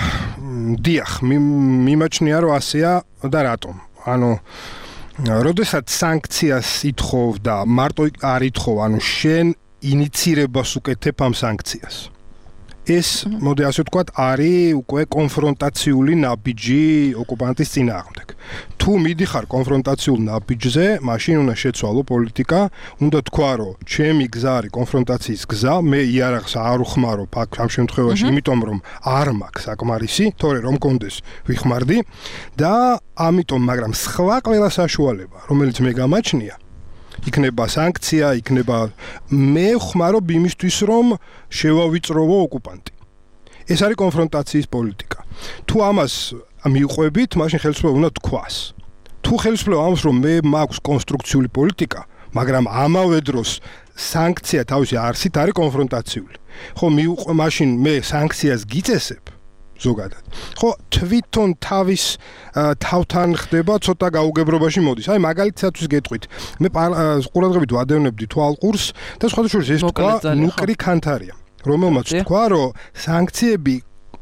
დიახ, მიმაჩნია რომ ასეა და რატომ? ანუ როდესაც სანქციას ითხოვდა, მარტო არ ითხოვ, ანუ შენ ინიცირებას უკეთებ ამ სანქციას. ეს, მოდი ასე ვთქვათ, არის უკვე კონფრონტაციული ნაბიჯი ოკუპანტის წინააღმდეგ. თუ მიდიხარ კონფრონტაციულ ნაბიჯზე, მაშინ უნდა შეცვალო პოლიტიკა, უნდა თქვა, რომ ჩემი გზა არის კონფრონტაციის გზა, მე იარაღს არ უხმარობ ამ შემთხვევაში, იმიტომ რომ არ მაქვს საკმარისი, თორე რომ კონდეს ვიხმარდი და ამიტომ, მაგრამ სხვა ყველა საშუალება, რომელიც მე გამაჩნია, იქნება სანქცია, იქნება მე ვხმარობ იმისთვის, რომ შევავიწროვო ოკუპანტი. ეს არის კონფრონტაციის პოლიტიკა. თუ ამას მიუყვებით, მაშინ ხელისუფლება უნდა თქვას. თუ ხელისუფლება ამბობს, რომ მე მაქვს კონსტრუქციული პოლიტიკა, მაგრამ ამავე დროს სანქცია თავისი არსით არის კონფრონტაციული. ხო, მიუყვე, მაშინ მე სანქციას გიწესებ ზოგადად. ხო, თვითონ თავის თავთან ხდება ცოტა გაუგებრობაში მოდის. აი მაგალითადაც გეტყვით. მე ყურადღებით ვადევნებდი თვალყურს და სხვადასხვა ეს თქვა ნუკრი ქანთარია, რომელმაც თქვა, რომ სანქციები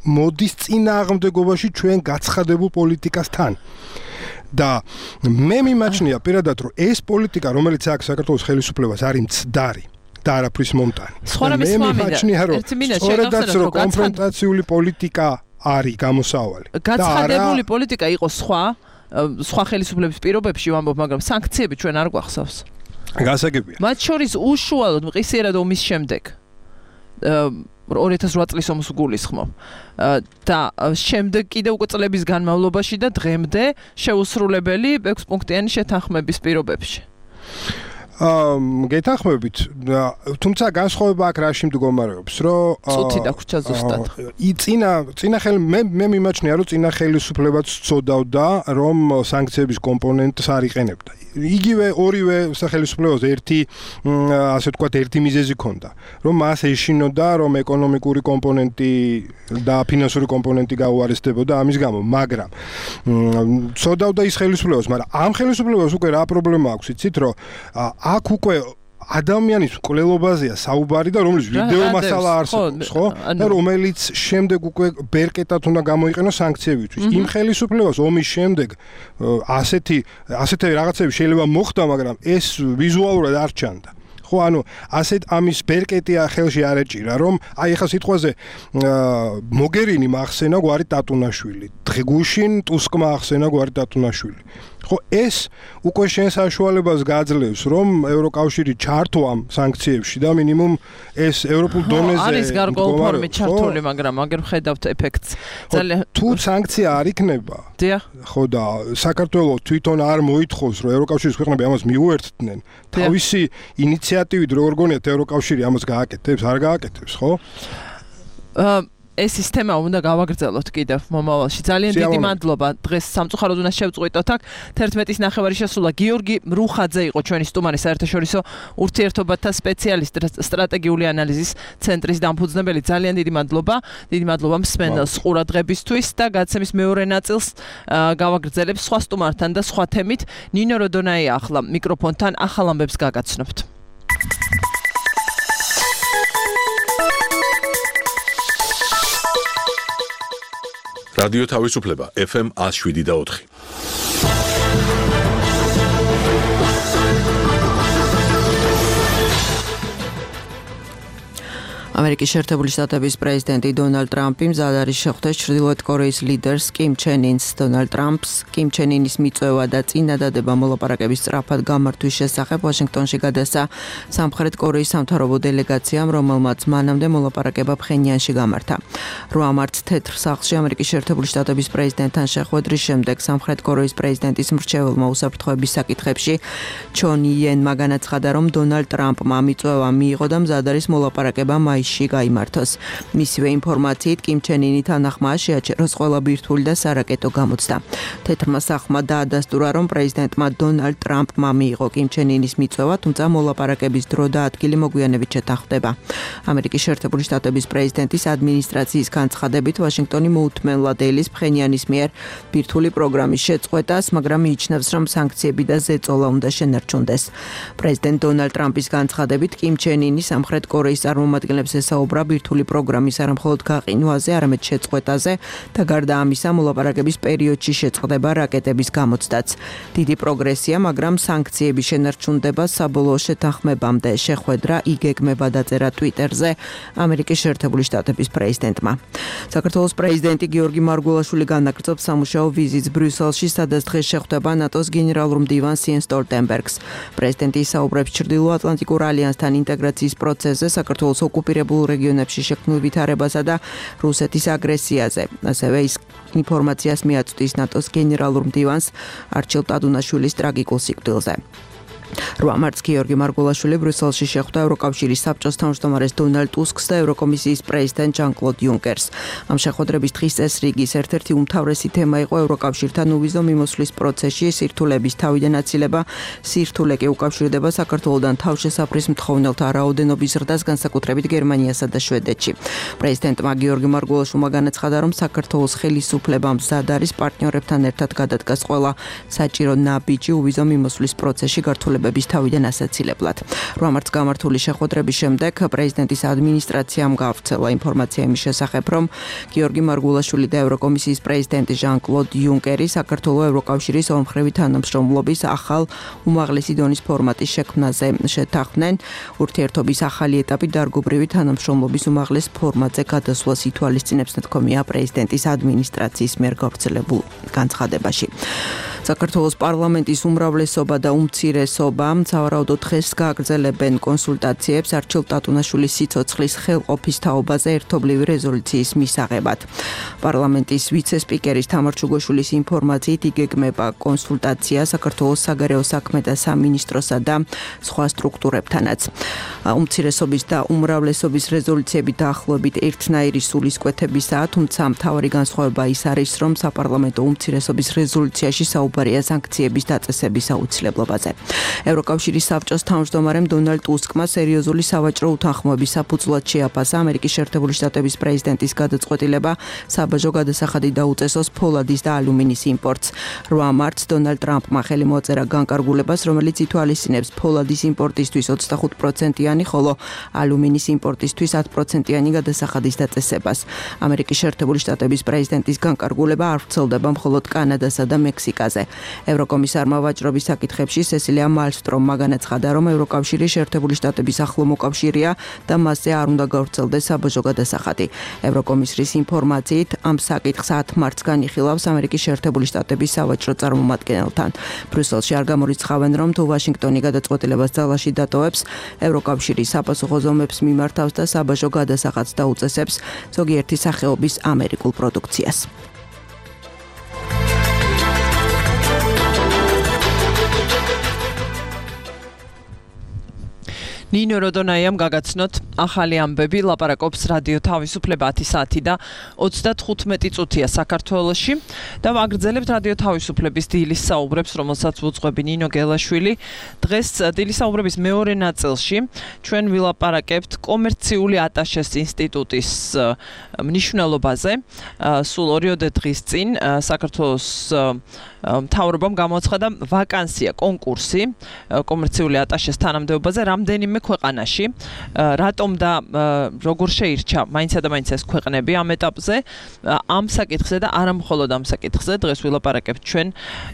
მოდის წინააღმდეგობაში ჩვენ გაცხადებულ პოლიტიკასთან. და მე მიმაჩნია პირადად, რომ ეს პოლიტიკა, რომელიც აქვს საქართველოს ხელისუფლებას, არის მცდარი. და არაფრის მომტანი.
მე
მიმაჩნია, რომ სწორედაც რომ კონფრონტაციული პოლიტიკა არის გამოსავალი.
გაცხადებული პოლიტიკა იყო სხვა, სხვა ხელისუფლების პირობებში ვამბობ, მაგრამ სანქციები ჩვენ არ გვახსოვს.
გასაგებია.
მათ შორის უშუალოდ მყისიერად ომის შემდეგ ორი ათას ოთხ წლის ომს გულისხმობ. და შემდეგ კიდე უკვე წლების განმავლობაში და დღემდე შეუსრულებელი ექვს პუნქტიანი შეთანხმების პირობებში.
აა გეთანხმებით, თუმცა განსხვავება აქ რაში მდგომარეობს, რომ
წუთი დაგვრჩა ზუსტად.
წინა წინა ხელი მე მე მიმაჩნია, რომ წინა ხელისუფლებაც წოდავდა, რომ სანქციების კომპონენტს არ იყენებდა. იგივე ორივე სახელმწიფოზე ერთი ასე ვთქვათ ერთი მიზეზი ჰქონდა, რომ მას ეშინოდა, რომ ეკონომიკური კომპონენტი და ფინანსური კომპონენტი გაუარესდებოდა ამის გამო, მაგრამ წოდავდა ის ხელისუფლებას, მაგრამ ამ ხელისუფლებას უკვე რა პრობლემა აქვს, იცით, რომ აქ უკვე ადამიანის მკვლელობაზეა საუბარი და რომლის ვიდეო მასალა არსებობს, ხო? და რომელიც შემდეგ უკვე ბერკეტად უნდა გამოიყენოს სანქციებისთვის. იმ ხელისუფლებას ომის შემდეგ ასეთი ასეთი რაღაცები შეიძლება მოხდა, მაგრამ ეს ვიზუალურად არ ჩანდა. ხო, ანუ ასეთ ამის ბერკეტია ხელში არ ეჭირა, რომ აი ახლა სიტყვაზე მოგერინი მახსენა გვარი ტატუნაშვილი, დღეგუშინ ტუსკმა ახსენა გვარი ტატუნაშვილი. ხო, ეს უკვე შენ საშუალებას გაძლევს, რომ ევროკავშირი ჩართვა სანქციებში და მინიმუმ ეს ევროპულ დონეზე
არის გარკვეულ ფორმით ჩართული, მაგრამ აგერ ხედავთ ეფექტს.
ძალიან თუ სანქცია არ იქნება.
დიახ.
ხო და საქართველოს თვითონ არ მოითხოვს, რომ ევროკავშირის ქვეყნები ამას მიუერთდნენ, თავისი ინიციატივით როგორ გონიათ ევროკავშირი ამას გააკეთებს, არ გააკეთებს, ხო?
აა ეს სისტემა უნდა გავაგრძელოთ კიდევ მომავალში. ძალიან დიდი მადლობა. დღეს სამწუხაროდ უნდა შევწყვიტოთ აქ. თერთმეტის ნახევარი შესულა. გიორგი რუხაძე იყო ჩვენი სტუმარი, საერთაშორისო ურთიერთობათა სპეციალისტი, სტრატეგიული ანალიზის ცენტრის დამფუძნებელი. ძალიან დიდი მადლობა. დიდი მადლობა მსმენელს ყურადღებისთვის და გაცემის მეორე ნაწილს გავაგრძელებ სხვა სტუმართან და სხვა თემით. ნინო როდონაია ახლა მიკროფონთან ახალ ამბებს გაგაცნობთ.
რადიო თავისუფლება ეფ ემ one oh seven და four.
ამერიკის შეერთებული შტატების პრეზიდენტი დონალდ ტრამპი მზად არის შეხვდეს ჩრდილოეთ კორეის ლიდერს კიმ ჩენ ინს. დონალდ ტრამპს კიმ ჩენ ინის მიწვევა და წინადადება მოლაპარაკების სწრაფად გამართვის შესახებ ვაშინგტონში გადასცა სამხრეთ კორეის სამთავრობო დელეგაციამ, რომელმაც მანამდე მოლაპარაკება ფხენიანში გამართა. რვა მარტს თეთრ სახლში ამერიკის შეერთებული შტატების პრეზიდენტთან შეხვედრის შემდეგ სამხრეთ კორეის პრეზიდენტის მრჩეველმა უსაფრთხოების საკითხებში ჩონ იენმა განაცხადა, რომ დონალდ ტრამპმა მიწვევა მიიღო და მზად არის მოლაპარაკება მაისში გაიმართოს. მისივე ინფორმაციით კიმ ჩენ ინი თანახმა შეაჩეროს ყველა ბირთვული და სარაკეტო გამოცდა. თეთრმა სახლმა დაადასტურა, რომ პრეზიდენტმა დონალდ ტრამპმა მიიღო კიმ ჩენ ინის მიწვევა, თუმცა მოლაპარაკების დრო და ადგილი მოგვიანებით შეთანხმდება. ამერიკის შეერთებული შტატების პრეზიდენტის ადმინისტრაციის განცხადებით, ვაშინგტონი მოუთმენლად ელის ფხენიანის მიერ ბირთვული პროგრამის შეწყვეტას, მაგრამ მიიჩნევს, რომ სანქციები და ზეწოლა უნდა შენარჩუნდეს. პრეზიდენტ დონალდ ტრამპის განცხადებით, კიმ ჩენ ინი სამხრეთ კორეის წარმომადგენლებს ესაუბრა ბირთვული პროგრამის არა მხოლოდ გაყინვაზე, არამედ შეწყვეტაზე და გარდა ამისა მოლაპარაკების პერიოდში შეწყდება რაკეტების გამოცდაც. დიდი პროგრესია, მაგრამ სანქციების შენარჩუნდება საბოლოო შეთანხმებამდე, შეხვედრა იგეგმება დაწერა ტვიტერზე ამერიკის შეერთებული შტატების პრეზიდენტმა. საქართველოს პრეზიდენტი გიორგი მარგველაშვილი განაგრძობს სამუშაო ვიზიტს ბრიუსელში, სადაც დღეს შეხვდება ნატოს გენერალურ მდივანს იენს სტოლტენბერგს. პრეზიდენტი ისაუბრებს ჩრდილოატლანტიკურ ალიანსთან ინტეგრაციის პროცესზე, საქართველოს ოკუპირებულ რეგიონებში შექმნილ ვითარებასა და რუსეთის აგრესიაზე. ასევე ის ინფორმაციას მიაწვდის ნატოს გენერალურ მდივანს არჩილ ტადუნაშვილის ტრაგიკულ სიკვდილზე. რვა მარტს გიორგი მარგველაშვილი ბრიუსელში შეხვდა ევროკავშირის საბჭოს თავმჯდომარეს დონალდ ტუსკს და ევროკომისიის პრეზიდენტ ჟან-კლოდ იუნკერს. ამ შეხვედრების დღის წესრიგის ერთ-ერთი უმთავრესი თემა იყო ევროკავშირთან უვიზო მიმოსვლის პროცესში სირთულების თავიდან აცილება. სირთულე კი უკავშირდება საქართველოსთან თავშესაფრის მთხოვნელთა რაოდენობის ზრდას, განსაკუთრებით გერმანიასა და შვედეთში. პრეზიდენტმა გიორგი მარგველაშვილმა განაცხადა, რომ საქართველოს ხელისუფლებამ მზად არის პარტნიორებთან ერთად გადადგას ყველა საჭირო ნაბიჯი უვიზო მიმოსვლის პროცესში გართულებების თავიდან ასაცილებლად. რვა მარტს გამართული შეხვედრების შემდეგ პრეზიდენტის ადმინისტრაციამ გავრცელა ინფორმაცია იმის შესახებ, რომ გიორგი მარგველაშვილი და ევროკომისიის პრეზიდენტი ჟან-კლოდ იუნკერი საქართველოს ევროკავშირის ორმხრივი თანამშრომლობის ახალ უმაღლესი დონის ფორმატის შექმნაზე შეთანხმდნენ. ურთიერთობის ახალი ეტაპი დარგობრივი თანამშრომლობის უმაღლეს ფორმატზე გადასვლას ითვალისწინებს, თქომია პრეზიდენტის ადმინისტრაციის მიერ გავრცელებულ განცხადებაში. საქართველოს პარლამენტის უმრავლესობა და უმცირესობა სავარაუდოდ დღეს გააგრძელებენ კონსულტაციებს არჩილ ტატუნაშვილის სიცოცხლის ხელყოფის თაობაზე ერთობლივი რეზოლუციის მისაღებად. პარლამენტის ვიცე-სპიკერის თამარ ჩუგოშვილის ინფორმაციით იგეგმება კონსულტაცია საქართველოს საგარეო საქმეთა სამინისტროსა და სხვა სტრუქტურებთანაც. უმცირესობის და უმრავლესობის რეზოლუციები დაახლოებით ერთნაირი სულისკვეთებისაა, თუმცა მთავარი განსხვავება ის არის, რომ საპარლამენტო უმცირესობის რეზოლუციაში საუბარია საუბარია სანქციების დაწესების აუცილებლობაზე. ევროკავშირის საბჭოს თავმჯდომარემ დონალდ ტუსკმა სერიოზული სავაჭრო უთანხმოების საფუძვლად შეაფასა ამერიკის შეერთებული შტატების პრეზიდენტის გადაწყვეტილება საბაჟო გადასახადი დაუწესოს ფოლადის და ალუმინის იმპორტს. რვა მარტს დონალდ ტრამპმა ხელი მოაწერა განკარგულებას, რომელიც ითვალისწინებს ფოლადის იმპორტისთვის ოცდახუთ პროცენტიანი, ხოლო ალუმინის იმპორტისთვის ათი პროცენტიანი გადასახადის დაწესებას. ამერიკის შეერთებული შტატების პრეზიდენტის განკარგულება არ ვრცელდება მხოლოდ კანადასა და მექსიკაზე. ევროკომისარმა ვაჭრობის საკითხებში სესილია მალმსტრომმა განაცხადა, რომ ევროკავშირი შეერთებული შტატების ახლო მოკავშირეა და მასზე არ უნდა გავრცელდეს საბაჟო გადასახადი. ევროკომისრის ინფორმაციით, ამ საკითხს ათი მარტს განიხილავს ამერიკის შეერთებული შტატების სავაჭრო წარმომადგენელთან. ბრიუსელში არ გამორიცხავენ, რომ თუ ვაშინგტონი გადაწყვეტილებას ძალაში დატოვებს, ევროკავშირი საპასუხო ზომებს მიმართავს და საბაჟო გადასახადს დაუწესებს ზოგიერთი სახეობის ამერიკულ პროდუქციას.
ნინო როდონაიამ გაგაცნოთ ახალი ამბები, ლაპარაკობს რადიო თავისუფლება ათი საათი და ოცდათხუთმეტი წუთია საქართველოში და ვაგრძელებთ რადიო თავისუფლების დილის საუბრებს, რომელსაც უძღვები ნინო გელაშვილი. დღეს დილის საუბრების მეორე ნაწილში ჩვენ ვილაპარაკებთ კომერციული ატაშეს ინსტიტუტის მნიშვნელობაზე. სულ ორიოდე დღის წინ საქართველოს მთავრობამ გამოაცხადა ვაკანსია, კონკურსი კომერციული ატაშეს თანამდებობაზე რამდენიმე ქვეყანაში. რატომ და როგორ შეირჩა მაინცა და მაინც ეს ქვეყნები ამ ეტაპზე, ამ საკითხზე და არა მხოლოდ ამ საკითხზე დღეს ვილაპარაკებთ ჩვენ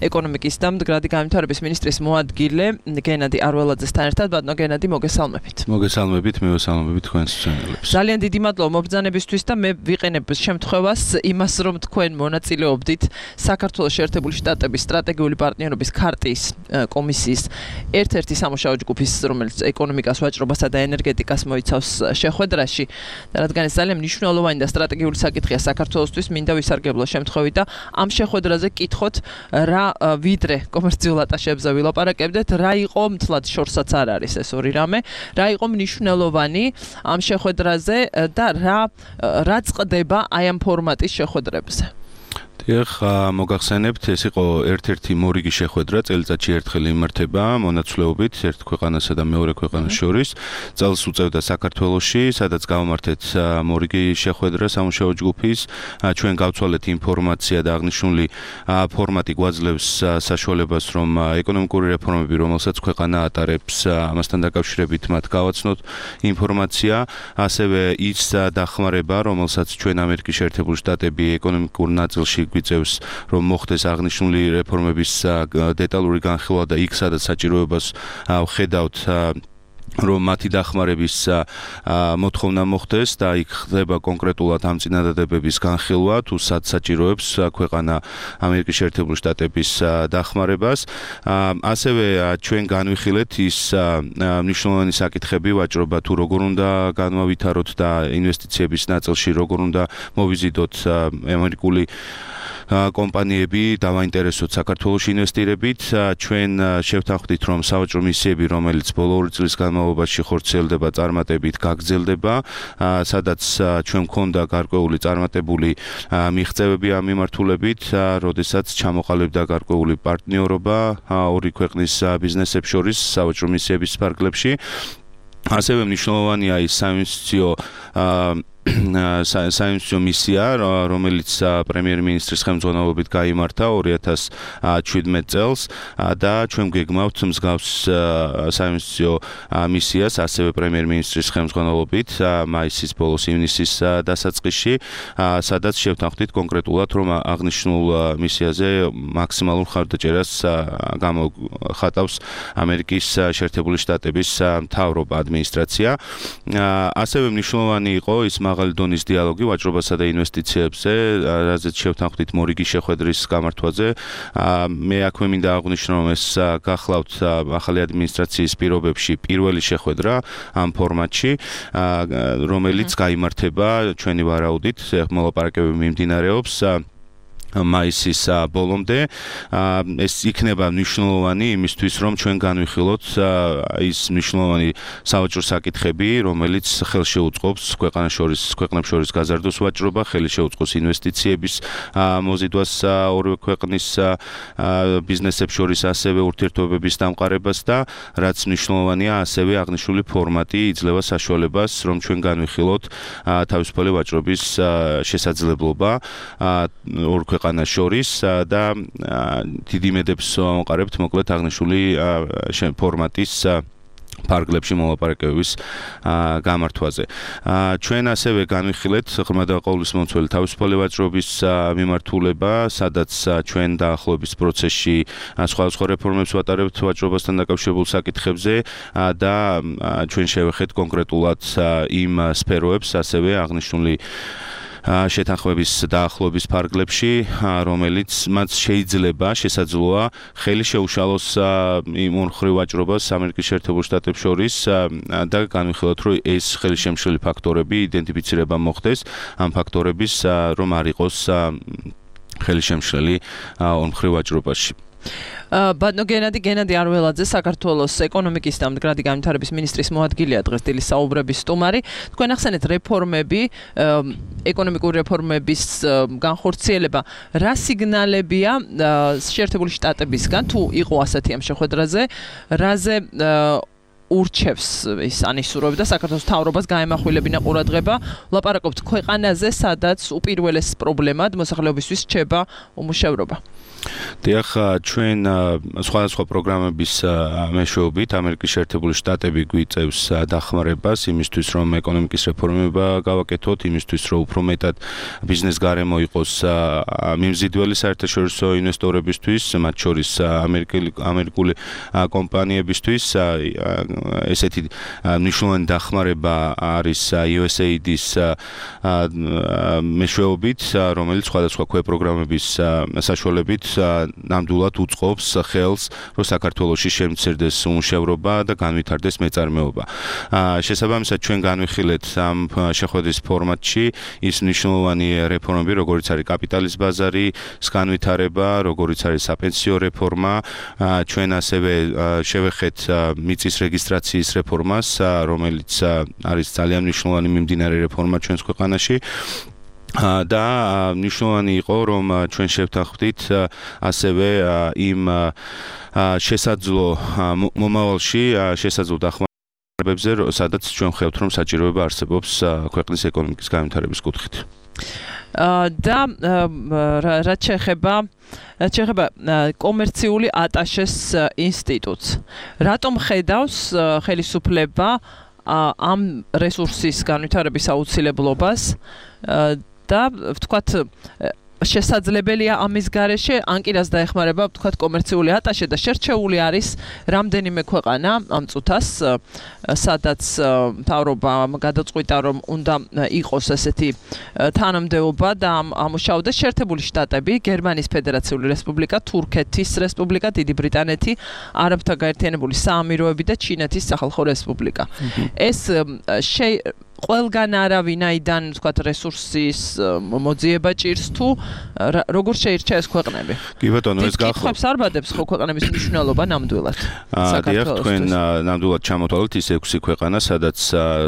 ეკონომიკის და მდგრადი განვითარების მინისტრის მოადგილე გენადი არველაძესთან ერთად. ბატონო გენადი, მოგესალმებით.
მოგესალმებით, მევესალმებით თქვენს მშენებლებს.
ძალიან დიდი მადლობა მობრძანებისთვის და მე ვიყენებ შემთხვევას იმას, რომ თქვენ მონაწილეობდით საქართველოს შეერთებული შტატების სტრატეგიული პარტნიორობის ქარტიის კომისიის ერთ-ერთი სამუშაო ჯგუფის, რომელიც ეკონომიკას, ვაჭრობასა და ენერგეტიკას მოიცავს შეხვედრაში და რადგან ეს ძალიან მნიშვნელოვანი და სტრატეგიული საკითხია საქართველოსთვის, მინდა ვისარგებლო შემთხვევით და ამ შეხვედრაზე კითხოთ, რა ვიდრე კომერციულ ატაშებზე ვილაპარაკებდეთ, რა იყო მთლად შორსაც არ არის ეს ორი რამე, რა იყო მნიშვნელოვანი ამ შეხვედრაზე და რა რა წყდება აი ამ ფორმატის შეხვედრებზე.
დიახ, მოგახსენებთ, ეს იყო ერთ-ერთი მორიგი შეხვედრა, წელიწადში ერთხელ იმართება მონაცვლეობით ერთ ქვეყანასა და მეორე ქვეყანას შორის. წელს უწევდა საქართველოში, სადაც გავმართეთ მორიგი შეხვედრა სამუშაო ჯგუფის. ჩვენ გავცვალეთ ინფორმაცია და აღნიშნული ფორმატი გვაძლევს საშუალებას, რომ ეკონომიკური რეფორმები, რომელსაც ქვეყანა ატარებს, ამასთან დაკავშირებით მათ გავაცნოთ ინფორმაცია, ასევე ის დახმარება, რომელსაც ჩვენ ამერიკის შეერთებული შტატები ეკონომიკურ ნაწილში გვიწევს, რომ მოხდეს აღნიშნული რეფორმების დეტალური განხილვა და იქ სადაც საჭიროებას ვხედავთ, რომ მათი დახმარების მოთხოვნა მოხდეს და იქ ხდება კონკრეტულად ამ წინადადებების განხილვა, თუ სად საჭიროებს ქვეყანა ამერიკის შეერთებული შტატების დახმარებას. ასევე ჩვენ განვიხილეთ ის მნიშვნელოვანი საკითხები, ვაჭრობა თუ როგორ უნდა განვავითაროთ და ინვესტიციების ნაწილში როგორ უნდა მოვიზიდოთ ამერიკული კომპანიები დავაინტერესოთ საქართველოში ინვესტირებით. ჩვენ შევთანხმდით, რომ სავაჭრო მისიები, რომელიც ბოლო ორი წლის განმავლობაში ხორციელდება წარმატებით, გაგრძელდება, სადაც ჩვენ მქონდა გარკვეული წარმატებული მიღწევები ამ მიმართულებით, როდესაც ჩამოყალიბდა გარკვეული პარტნიორობა ორი ქვეყნის ბიზნესებს შორის სავაჭრო მისიების ფარგლებში. ასევე მნიშვნელოვანია ის საინვესტიციო საინვესტიციო მისია, რომელიც პრემიერ-მინისტრის ხელმძღვანელობით გაიმართა ორი ათას შვიდმეტ წელს და ჩვენ გეგმავთ მსგავს საინვესტიციო მისიას ასევე პრემიერ-მინისტრის ხელმძღვანელობით მაისის ბოლოს ივნისის დასაწყისში, სადაც შევთანხმდით კონკრეტულად, რომ აღნიშნულ მისიაზე მაქსიმალურ ხარდაჭერას გამოხატავს ამერიკის შეერთებული შტატების მთავრობა, ადმინისტრაცია. ასევე მნიშვნელოვანი იყო ის მაღალი დონის დიალოგი ვაჭრობასა და ინვესტიციებზე, რაზეც შევთანხმდით მორიგი შეხვედრის გამართვაზე. მე აქვე მინდა აღვნიშნო, რომ ეს გახლავთ ახალი ადმინისტრაციის პირობებში პირველი შეხვედრა ამ ფორმატში, რომელიც გაიმართება ჩვენი ვარაუდით, მოლაპარაკებები მიმდინარეობს მაისის ბოლომდე ეს იქნება მნიშვნელოვანი იმისთვის რომ ჩვენ განვიხილოთ ის მნიშვნელოვანი სავაჭრო საკითხები რომელიც ხელს შეუწყობს ქვეყანას შორის ქვეყნებს შორის გაზარდოს ვაჭრობა ხელი შეუწყოს ინვესტიციების მოზიდვას ორივე ქვეყნის ბიზნესებს შორის ასევე ურთიერთობების დამყარებას და რაც მნიშვნელოვანია ასევე აღნიშნული ფორმატი იძლევა საშუალებას რომ ჩვენ განვიხილოთ თავისუფალი ვაჭრობის შესაძლებლობა ორ ქვეყანას შორის და დიდი იმედებს ვამყარებთ მოკლედ აღნიშნული ფორმატის ფარგლებში მოლაპარაკებების გამართვაზე. ჩვენ ასევე განვიხილეთ ღრმა და ყოვლისმომცველი თავისუფალი ვაჭრობის მიმართულება, სადაც ჩვენ დაახლოების პროცესში სხვადასხვა რეფორმებს ვატარებთ ვაჭრობასთან დაკავშირებულ საკითხებზე და ჩვენ შევეხეთ კონკრეტულად იმ სფეროებს, ასევე აღნიშნული შეთანხმების დაახლოების ფარგლებში, რომელიც მათ შეიძლება შესაძლოა ხელი შეუშალოს იმ მხრივ ვაჭრობას ამერიკის შეერთებულ შტატებს შორის და განვიხილოთ, რომ ეს ხელშემშლელი ფაქტორები იდენტიფიცირება მოხდეს ამ ფაქტორების რომ არ იყოს ხელშემშლელი ორმხრივ ვაჭრობაში.
ბატონო გენადი გენადი არველაძე საქართველოს ეკონომიკის და მდგრადი განვითარების მინისტრის მოადგილეა დღეს დილის საუბრების სტუმარი. თქვენ ახსენეთ რეფორმები, ეკონომიკური რეფორმების განხორციელება, რა სიგნალებია შეერთებული შტატებისგან თუ იყო ასეთი ამ შეხვედრაზე, რაზე ურჩევს ის ანისურვებდა საქართველოს მთავრობას გაემახვილებინა ყურადღება, ლაპარაკობთ ქვეყანაზე, სადაც უპირველეს პრობლემად მოსახლეობისთვის რჩება უმუშევრობა.
დიახ, ჩვენ სხვადასხვა პროგრამების მეშვეობით ამერიკის შეერთებული შტატები გვიწევს დახმარებას იმისთვის, რომ ეკონომიკის რეფორმება გავაკეთოთ, იმისთვის, რომ უფრო მეტად ბიზნეს გარემო იყოს მიმზიდველი საერთაშორისო ინვესტორებისთვის, მათ შორის ამერიკული კომპანიებისთვის. ესეთი მნიშვნელოვანი დახმარება არის იუ ეს έი დის მეშვეობით, რომელიც სხვადასხვა ქვეპროგრამების საშუალებით ნამდვილად უწყობს ხელს, რომ საქართველოში შემცირდეს უმუშევრობა და განვითარდეს მეწარმეობა. შესაბამისად, ჩვენ განვიხილეთ ამ შეხვედრის ფორმატში ის მნიშვნელოვანი რეფორმები, როგორიც არის კაპიტალის ბაზარი, განვითარება, როგორიც არის საპენსიო რეფორმა. ჩვენ ასევე შევეხეთ მიწის რეგისტრაციის რეფორმას, რომელიც არის ძალიან მნიშვნელოვანი მიმდინარე რეფორმა ჩვენს ქვეყანაში. და მნიშვნელოვანი იყო, რომ ჩვენ შევთანხმდით ასევე იმ შესაძლო მომავალში შესაძლო დახმარებებზე, სადაც ჩვენ ხედავთ, რომ საჭიროება არსებობს ქვეყნის ეკონომიკის განვითარების კუთხით.
და რაც შეეხება რაც შეეხება კომერციული ატაშეს ინსტიტუტს, რატომ ხედავს ხელისუფლება ამ რესურსის განვითარების აუცილებლობას და ვთქვათ შესაძლებელია ამის გარეშე ან კი რას დაეხმარება ვთქვათ კომერციული ატაშე და შერჩეული არის რამდენიმე ქვეყანა ამ წუთას, სადაც მთავრობა გადაწყვიტა რომ უნდა იყოს ესეთი თანამდებობა და ამუშავდეს შეერთებული შტატები, გერმანიის ფედერაციული რესპუბლიკა, თურქეთის რესპუბლიკა, დიდი ბრიტანეთი, არაბთა გაერთიანებული საამიროები და ჩინეთის სახალხო რესპუბლიკა. ეს ყველგან არავინაიდან ვთქვათ რესურსის მოძიება ჭირს თუ როგორ შეირჩა ეს ქვეყნები?
კი ბატონო, ეს გახსოვს.
კითხებს არ ბადებს ხო ქვეყნების მნიშვნელობა ნამდვილად.
დიახ, თქვენ ნამდვილად ჩამოთვალეთ ის ექვსი ქვეყანა, სადაც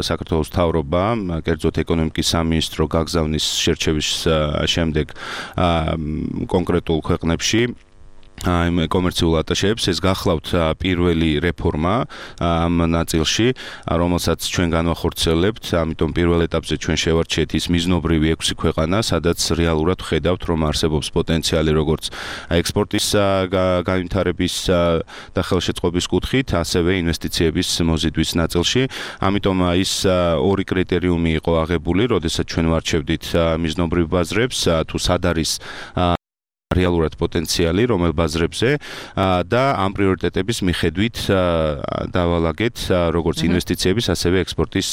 საქართველოს მთავრობა, კერძოდ ეკონომიკის სამინისტრო გაგზავნის შერჩევის შემდეგ კონკრეტულ ქვეყნებში ამ კომერციულ ატაშეებს, ეს გახლავთ პირველი რეფორმა ამ ნაწილში, რომელსაც ჩვენ განვახორციელებთ, ამიტომ პირველ ეტაპზე ჩვენ შევარჩიეთ ის მიზნობრივი ექვსი ქვეყანა, სადაც რეალურად ხედავთ, რომ არსებობს პოტენციალი როგორც ექსპორტის განვითარების და ხელშეწყობის კუთხით, ასევე ინვესტიციების მოზიდვის ნაწილში. ამიტომ ის ორი კრიტერიუმი იყო აღებული, როდესაც ჩვენ ვარჩევდით მიზნობრივ ბაზრებს, თუ სად არის რეალურად პოტენციალი რომელ ბაზრებზე და ამ პრიორიტეტების მიხედვით დავალაგეთ როგორც ინვესტიციების, ასევე ექსპორტის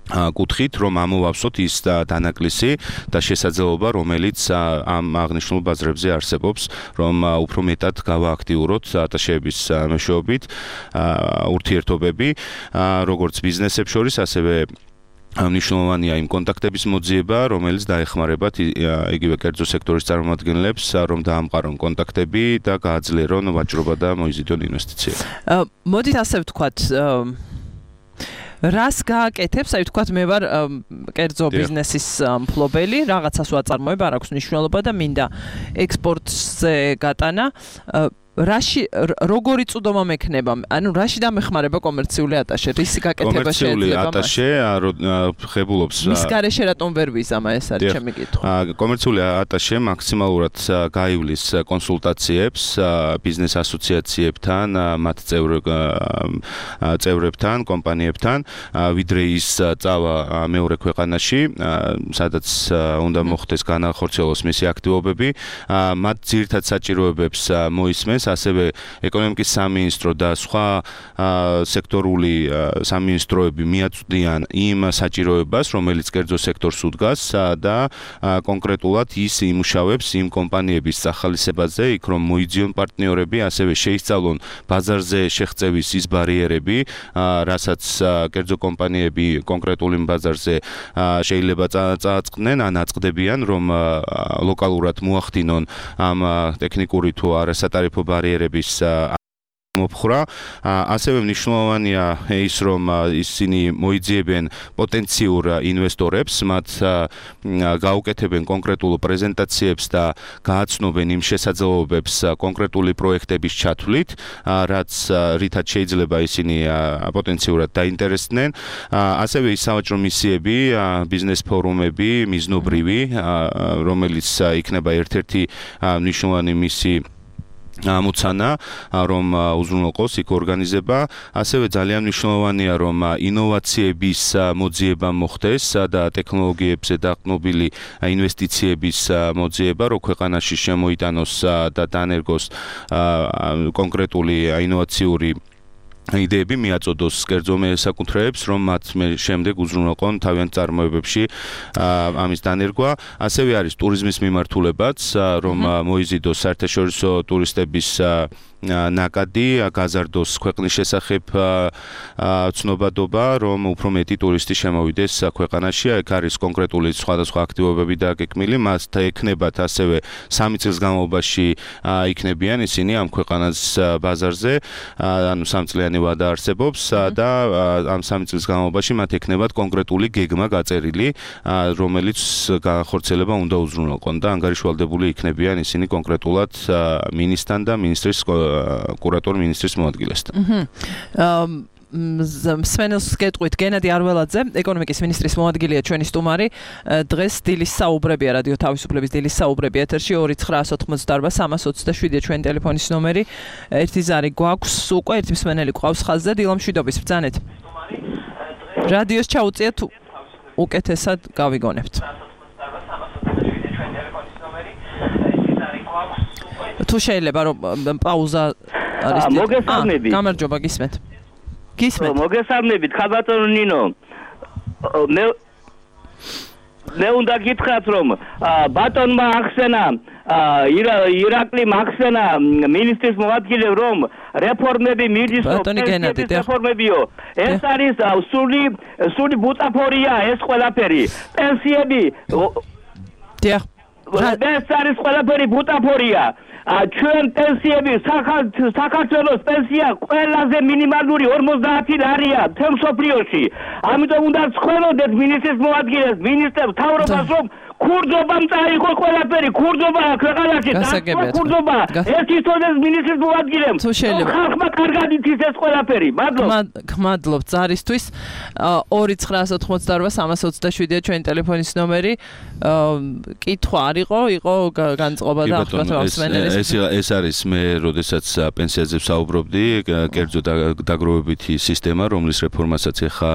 კუთხით, რომ ამოვავსოთ ის დანაკლისი და შესაძლებლობა, რომელიც ამ აღნიშნულ ბაზრებზე არსებობს, რომ უფრო მეტად გავააქტიუროთ ატაშეების მეშვეობით ურთიერთობები, როგორც ბიზნესებს შორის, ასევე მნიშვნელოვანია იმ კონტაქტების მოძიება, რომელიც დაეხმარებათ იგივე კერძო სექტორის წარმომადგენლებს, რომ დაამყარონ კონტაქტები და გააძლიერონ ვაჭრობა და მოიზიდონ ინვესტიციები.
მოდით ასე ვთქვათ, რას გააკეთებს, აი ვთქვათ, მე ვარ კერძო ბიზნესის მფლობელი, რაღაცას ვაწარმოებ, არ აქვს მნიშვნელობა და მინდა ექსპორტზე გატანა. რაში როგორი წვდომა მექნება? ანუ რაში დამეხმარება კომერციული ატაშე? რისი გაკეთება შეიძლება?
კომერციული ატაშე ხებულობს.
მის გარეშე რატომ ვერ ვიზამა, ეს არის ჩემი კითხვა.
კომერციული ატაშე მაქსიმალურად გაივლის კონსულტაციებს ბიზნეს ასოციაციებთან, მათ წევრებთან, კომპანიებთან, ვიდრე ის წავა მეორე ქვეყანაში, სადაც უნდა მოხდეს განახორციელოს მისი აქტივობები, მათ ძირითად საჭიროებებს მოისმენს ასევე ეკონომიკის სამინისტრო და სხვა სექტორული სამინისტროები მიაწვდიან იმ საჭიროებას, რომელიც კერძო სექტორს უდგას და კონკრეტულად ის იმუშავებს იმ კომპანიების სახალისებაზე, იქ რომ მოიძიონ პარტნიორები, ასევე შეისწავლონ ბაზარზე შეღწევის ის ბარიერები, რასაც კერძო კომპანიები კონკრეტული ბაზარზე შეიძლება წააწყდნენ, ან აწყდებიან, რომ ლოკალურად მოახდინონ ამ ტექნიკური თუ არასატარიფო ბარიერების მოფხრა. ასევე მნიშვნელოვანია ის, რომ ისინი მოიძიებენ პოტენციურ ინვესტორებს, მათ გაუკეთებენ კონკრეტულ პრეზენტაციებს და გააცნობენ იმ შესაძლებლობებს კონკრეტული პროექტების ჩათვლით, რაც რითაც შეიძლება ისინი პოტენციურად დაინტერესდნენ. ასევე ის სავაჭრო მისიები, ბიზნეს ფორუმები, მიზნობრივი, რომელიც იქნება ერთ-ერთი მნიშვნელოვანი მისი მოცანა, რომ უზრუნველყოს იქ ორგანიზება. ასევე ძალიან მნიშვნელოვანია, რომ ინოვაციების მოძიება მოხდეს და ტექნოლოგიებზე დაყრდნობილი ინვესტიციების მოძიება, რომ ქვეყანაში შემოიტანოს და დაანერგოს კონკრეტული ინოვაციური იდეები მიაწოდოს კერძო საკუთრეებს, რომ მათ შემდეგ უზრუნველყონ თავიანთ წარმოებებში ამის დანერგვა. ასევე არის ტურიზმის მიმართულებაც, რომ მოიზიდოს საერთაშორისო ტურისტების ნაკადი, გაზარდოს ქვეყნის შესახებ ცნობადობა, რომ უფრო მეტი ტურისტი შემოვიდეს ქვეყანაში. აქ არის კონკრეტული სხვადასხვა აქტივობები დაგეკმილი, მას ექნებათ ასევე სამი წლის განმავლობაში იქნებიან ისინი ამ ქვეყანას ბაზარზე, ანუ სამწლიანი ვადა არსებობს და ამ სამი წლის განმავლობაში მათ ექნებათ კონკრეტული გეგმა გაწერილი, რომელიც განახორციელება უნდა უზრუნველყონ და ანგარიშვალდებული იქნებიან ისინი კონკრეტულად მინისტრთან და მინისტრის კურატორ მინისტრის მოადგილესთან.
სვენელს გეტყვით, გენადი არველაძე, ეკონომიკის მინისტრის მოადგილეა ჩვენი სტუმარი. დღეს დილის საუბრებია, რადიო თავისუფლების დილის საუბრები ეთერში ორი ცხრა ოცდაოთხმოცდაარბა სამას ოცდაშვიდია ჩვენი ტელეფონის ნომერი. ერთი ზარი გვაქვს უკვე, ერთი მსმენელი ყავს ხაზზე. დილამშვიდობის, ბრძანეთ. რადიოს ჩაუწიეთ, უკეთესად გავიგონებთ. თუ შეიძლება რომ პაუზა არის.
მოგესალმებით.
გამარჯობა, გისმენთ. გისმენთ.
მოგესალმებით, ხაბატონო ნინო. მე მე უნდა გითხრათ, რომ ბატონმა ახსენა ირაკლი ახსენა მინისტრის მოადგილე, რომ რეფორმები მიდის, რეფორმებიო. ეს არის სული სული ბუტაფორია ეს ყველაფერი. პენსიები
დიახ.
ეს არის ყველაფერი ბუტაფორია. ჩვენ პენსიები საქართველოს პენსია ყველაზე მინიმალური ორმოცდაათი ლარია მთელ მსოფლიოში. ამიტომ უნდა ვცხოვროთ მინისტრის მოადგილეს, მინისტრებს, მთავრობას, რომ ქურდობამ წაიღო ყველაფერი, ქურდობა ქვეყანაში, ქურდობა. ეს ისწორდეს მინისტრის მოადგილემ. ხალხმა კარგად იცის ეს ყველაფერი. მადლობთ.
გმადლობთ ზარისთვის. ორი ცხრა ოცდაოთხმოცდაარბა სამას ოცდაშვიდია ჩვენი ტელეფონის ნომერი. კითხვა არ იყო, იყო განწყობა და ახლა მსმენელის.
ეს ეს არის მე, როდესაც პენსიაზე ვსაუბრობდი, კერძო დაგროვებითი სისტემა, რომლის რეფორმასაც ახლა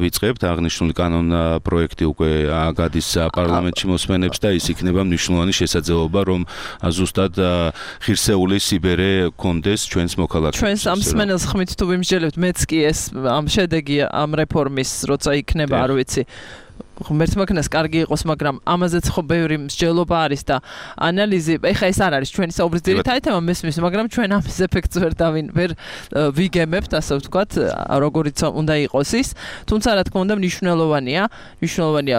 ვიწყებთ, აღნიშნული კანონ პროექტი უკვე გადის პარლამენტში მოსმენებს და ის იქნება მნიშვნელოვანი შესაძლებლობა, რომ ზუსტად ღირსეული სიბერე კონდეს ჩვენს მოქალაქეებს.
ჩვენს ამ მსმენელს ხმით თუ ვიმსჯელებთ, მეც კი ეს ამ შედეგი ამ რეფორმის, როცა იქნება, არ ვიცი. ღმერთს მაგნას კარგი იყოს, მაგრამ ამაზეც ხო ბევრი მსჯელობა არის და ანალიზი, ეხა ეს არ არის ჩვენი საუბრის ძირითადი თემა მესმის, მაგრამ ჩვენ ამის ეფექტს ვერ დავინ ვერ ვიგემებთ, ასე ვთქვათ, როგორიც უნდა იყოს ის. თუმცა რა თქმა უნდა მნიშვნელოვანია, მნიშვნელოვანია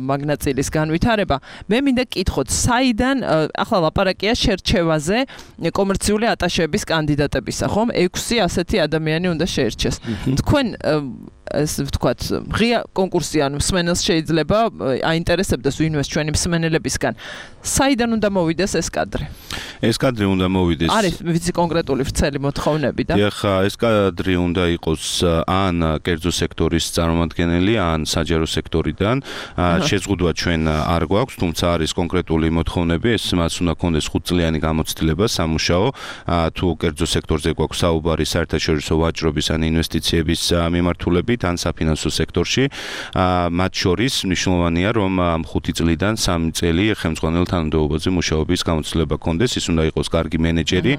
მაგნაწილის განვითარება. მე მინდა კითხოთ, საიდან ახლა ლაპარაკია შერჩევაზე კომერციული ატაშების კანდიდატებისა, ხომ? ექვსი ასეთი ადამიანი უნდა შეერჩეს. თქვენ ეს ვთქვათ, ღია კონკურსი ან მსმენელს შეიძლება აინტერესებდეს ვინმეს ჩვენი მსმენელებისგან. საიდან უნდა მოვიდეს ეს კადრი?
ეს კადრი უნდა მოვიდეს.
არის ვიცი კონკრეტული ვრცელი მოთხოვნები და
დიახ, ეს კადრი უნდა იყოს ან კერძო სექტორის წარმომადგენელი, ან საჯარო სექტორიდან. შეზღუდვა ჩვენ არ გვაქვს, თუმცა არის კონკრეტული მოთხოვნები, ეს მას უნდა ქონდეს ხუთწლიანი გამოცდილება სამუშაო, თუ კერძო სექტორზე გვაქვს საუბარი საერთაშორისო ვაჭრობის ან ინვესტიციების მიმართულებით ან საფინანსო სექტორში. მათ შორის მნიშვნელოვანია, რომ ამ ხუთი წლიდან სამი წელი ხელმძღვანელ თანამდებობაზე მუშაობის გამოცდილება ქონდეს, ის უნდა იყოს კარგი მენეჯერი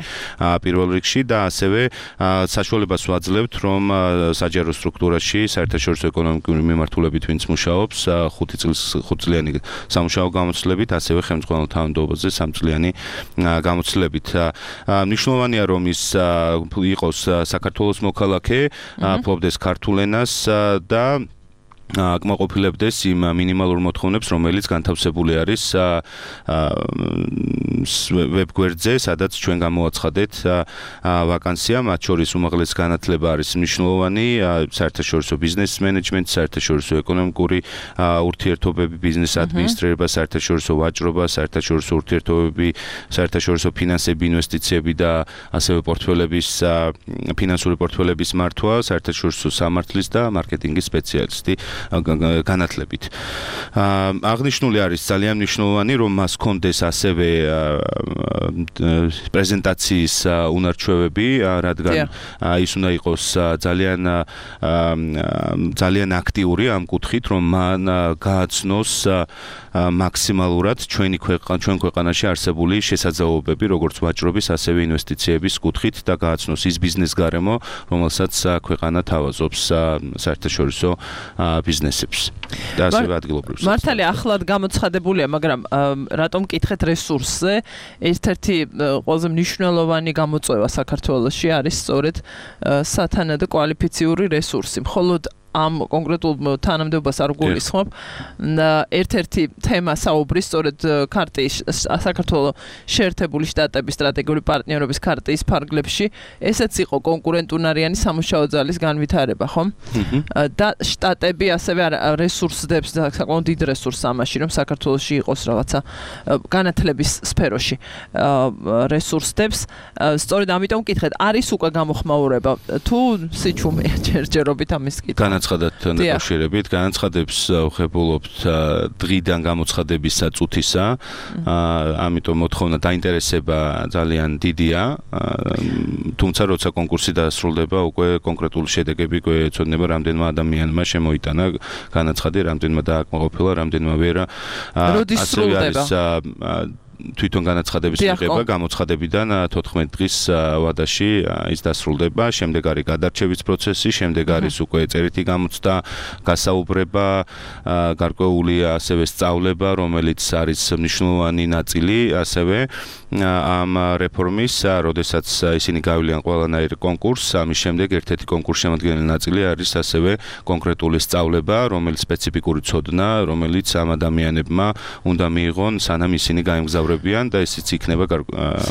პირველ რიგში და ასევე საშუალებას ვაძლევთ, რომ საჯარო სტრუქტურაში საერთაშორისო ეკონომიკური მიმართულებით ვინც მუშაობს, ხუთი წლის ხუთწლიანი სამუშაო გამოცდილებით, ასევე ხელმძღვანელ თანამდებობაზე სამწლიანი გამოცდილებით. მნიშვნელოვანია, რომ ის იყოს საქართველოს მოქალაქე, ფლობდეს ქართულ ენას და აკმაყოფილებდეს იმ მინიმალურ მოთხოვნებს, რომელიც განთავსებული არის ვებგვერდზე, სადაც ჩვენ გამოვაცხადეთ ვაკანსია, მათ შორის უმაღლესი განათლება არის მნიშვნელოვანი, საერთაშორისო ბიზნეს მენეჯმენტი, საერთაშორისო ეკონომიკური ურთიერთობები, ბიზნეს ადმინისტრირება, საერთაშორისო ვაჭრობა, საერთაშორისო ურთიერთობები, საერთაშორისო ფინანსები, ინვესტიციები და ასევე პორტფელების ფინანსური პორტფელების მართვა, საერთაშორისო სამართლის და მარკეტინგის სპეციალისტი განათლებით. აღნიშნული არის ძალიან მნიშვნელოვანი, რომ მას კონდეს ასევე პრეზენტაციის უნარჩვევები, რადგან ის უნდა იყოს ძალიან ძალიან აქტიური ამ კუთხით, რომ მან გააცნოს მაქსიმალურად ჩვენი ქვეყანა, ჩვენ ქვეყანაში არსებული შესაძლებლობები, როგორც ვაჭრობის, ასევე ინვესტიციების კუთხით და გააცნოს ის ბიზნეს გარემო, რომელსაც ქვეყანა თავაზობს საერთაშორისო ბიზნესებს და ასევე ადგილობრივ.
მართალია ახლად გამოცხადებულია, მაგრამ რატომ კითხეთ რესურსზე? ერთ-ერთი ყველაზე მნიშვნელოვანი გამოწვევა საქართველოში არის სწორედ სათანადო კვალიფიციური რესურსი. მხოლოდ ამ კონკრეტულ თანამდებობას არ გულისხმობ. ერთ-ერთი თემა საუბრის სწორედ ქარტიის საქართველოს შეერთებული შტატების სტრატეგიული პარტნიორობის ქარტიის ფარგლებში, ესეც იყო კონკურენტუნარიანი სამუშაო ძალის განვითარება, ხომ? და შტატები ასევე რესურსებს და საკმაოდ დიდ რესურსს ამაში, რომ საქართველოში იყოს რაღაცა განათლების სფეროში რესურსებს. სწორედ ამიტომ კითხეთ, არის უკვე გამოხმაურება თუ სიჩუმეა ჯერჯერობით ამის კითხვა?
განაცხადეთ დაკავშირებით, განაცხადებს ვხებულობთ დღიდან გამოცხადების საწუთისა, ამიტომ მოთხოვნა დაინტერესება ძალიან დიდია, თუმცა როცა კონკურსი დასრულდება, უკვე კონკრეტული შედეგები გვეცოდნება, რამდენმა ადამიანმა შემოიტანა განაცხადი, რამდენმა დააკმაყოფილა, რამდენმა ვერა.
როდის სრულდება?
თვითონ განაცხადების მიღება გამოცხადებიდან თოთხმეტი დღის ვადაში ის დასრულდება, შემდეგ არის გადარჩევის პროცესი, შემდეგ არის უკვე წერითი გამოცდა, გასაუბრება, გარკვეული ასევე სწავლება, რომელიც არის მნიშვნელოვანი ნაწილი ასევე ამ რეფორმის, როდესაც ისინი გავიდნენ ყველანაირ კონკურსს, ამის შემდეგ ერთ-ერთი კონკურს შემადგენელი ნაწილი არის ასევე კონკრეტული სწავლება, რომელიც სპეციფიკური ცოდნა, რომელიც ამ ადამიანებმა უნდა მიიღონ, სანამ ისინი გაემგზავრებიან და ისიც იქნება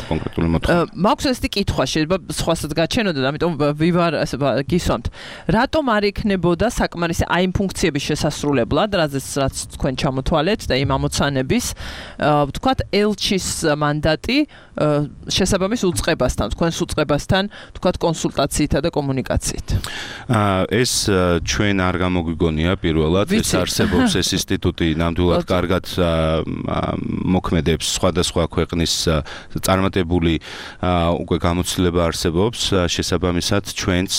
კონკრეტული მოთხოვნა.
მაქვს ესეთი კითხვა, შეიძლება სხვასაც გაჩენოდა, ამიტომ ვივარ ასე გისვამთ. რატომ არ იქნებოდა საკმარისი აი იმ ფუნქციების შესასრულებლად, რაზეც რაც თქვენ ჩამოთვალეთ და იმ ამოცანების, ვთქვათ, ელჩის მანდატი შესაბამის უწყებასთან, თქვენს უწყებასთან, ვთქვათ, კონსულტაციითა და კომუნიკაციით.
ეს ჩვენ არ გამოგვიგონია პირველად, ეს არსებობს ეს ინსტიტუტი ნამდვილად კარგად მოქმედებს სხვა სხვადასხვა ქვეყნის წარმატებული უკვე გამოცდილება არსებობს, შესაბამისად ჩვენც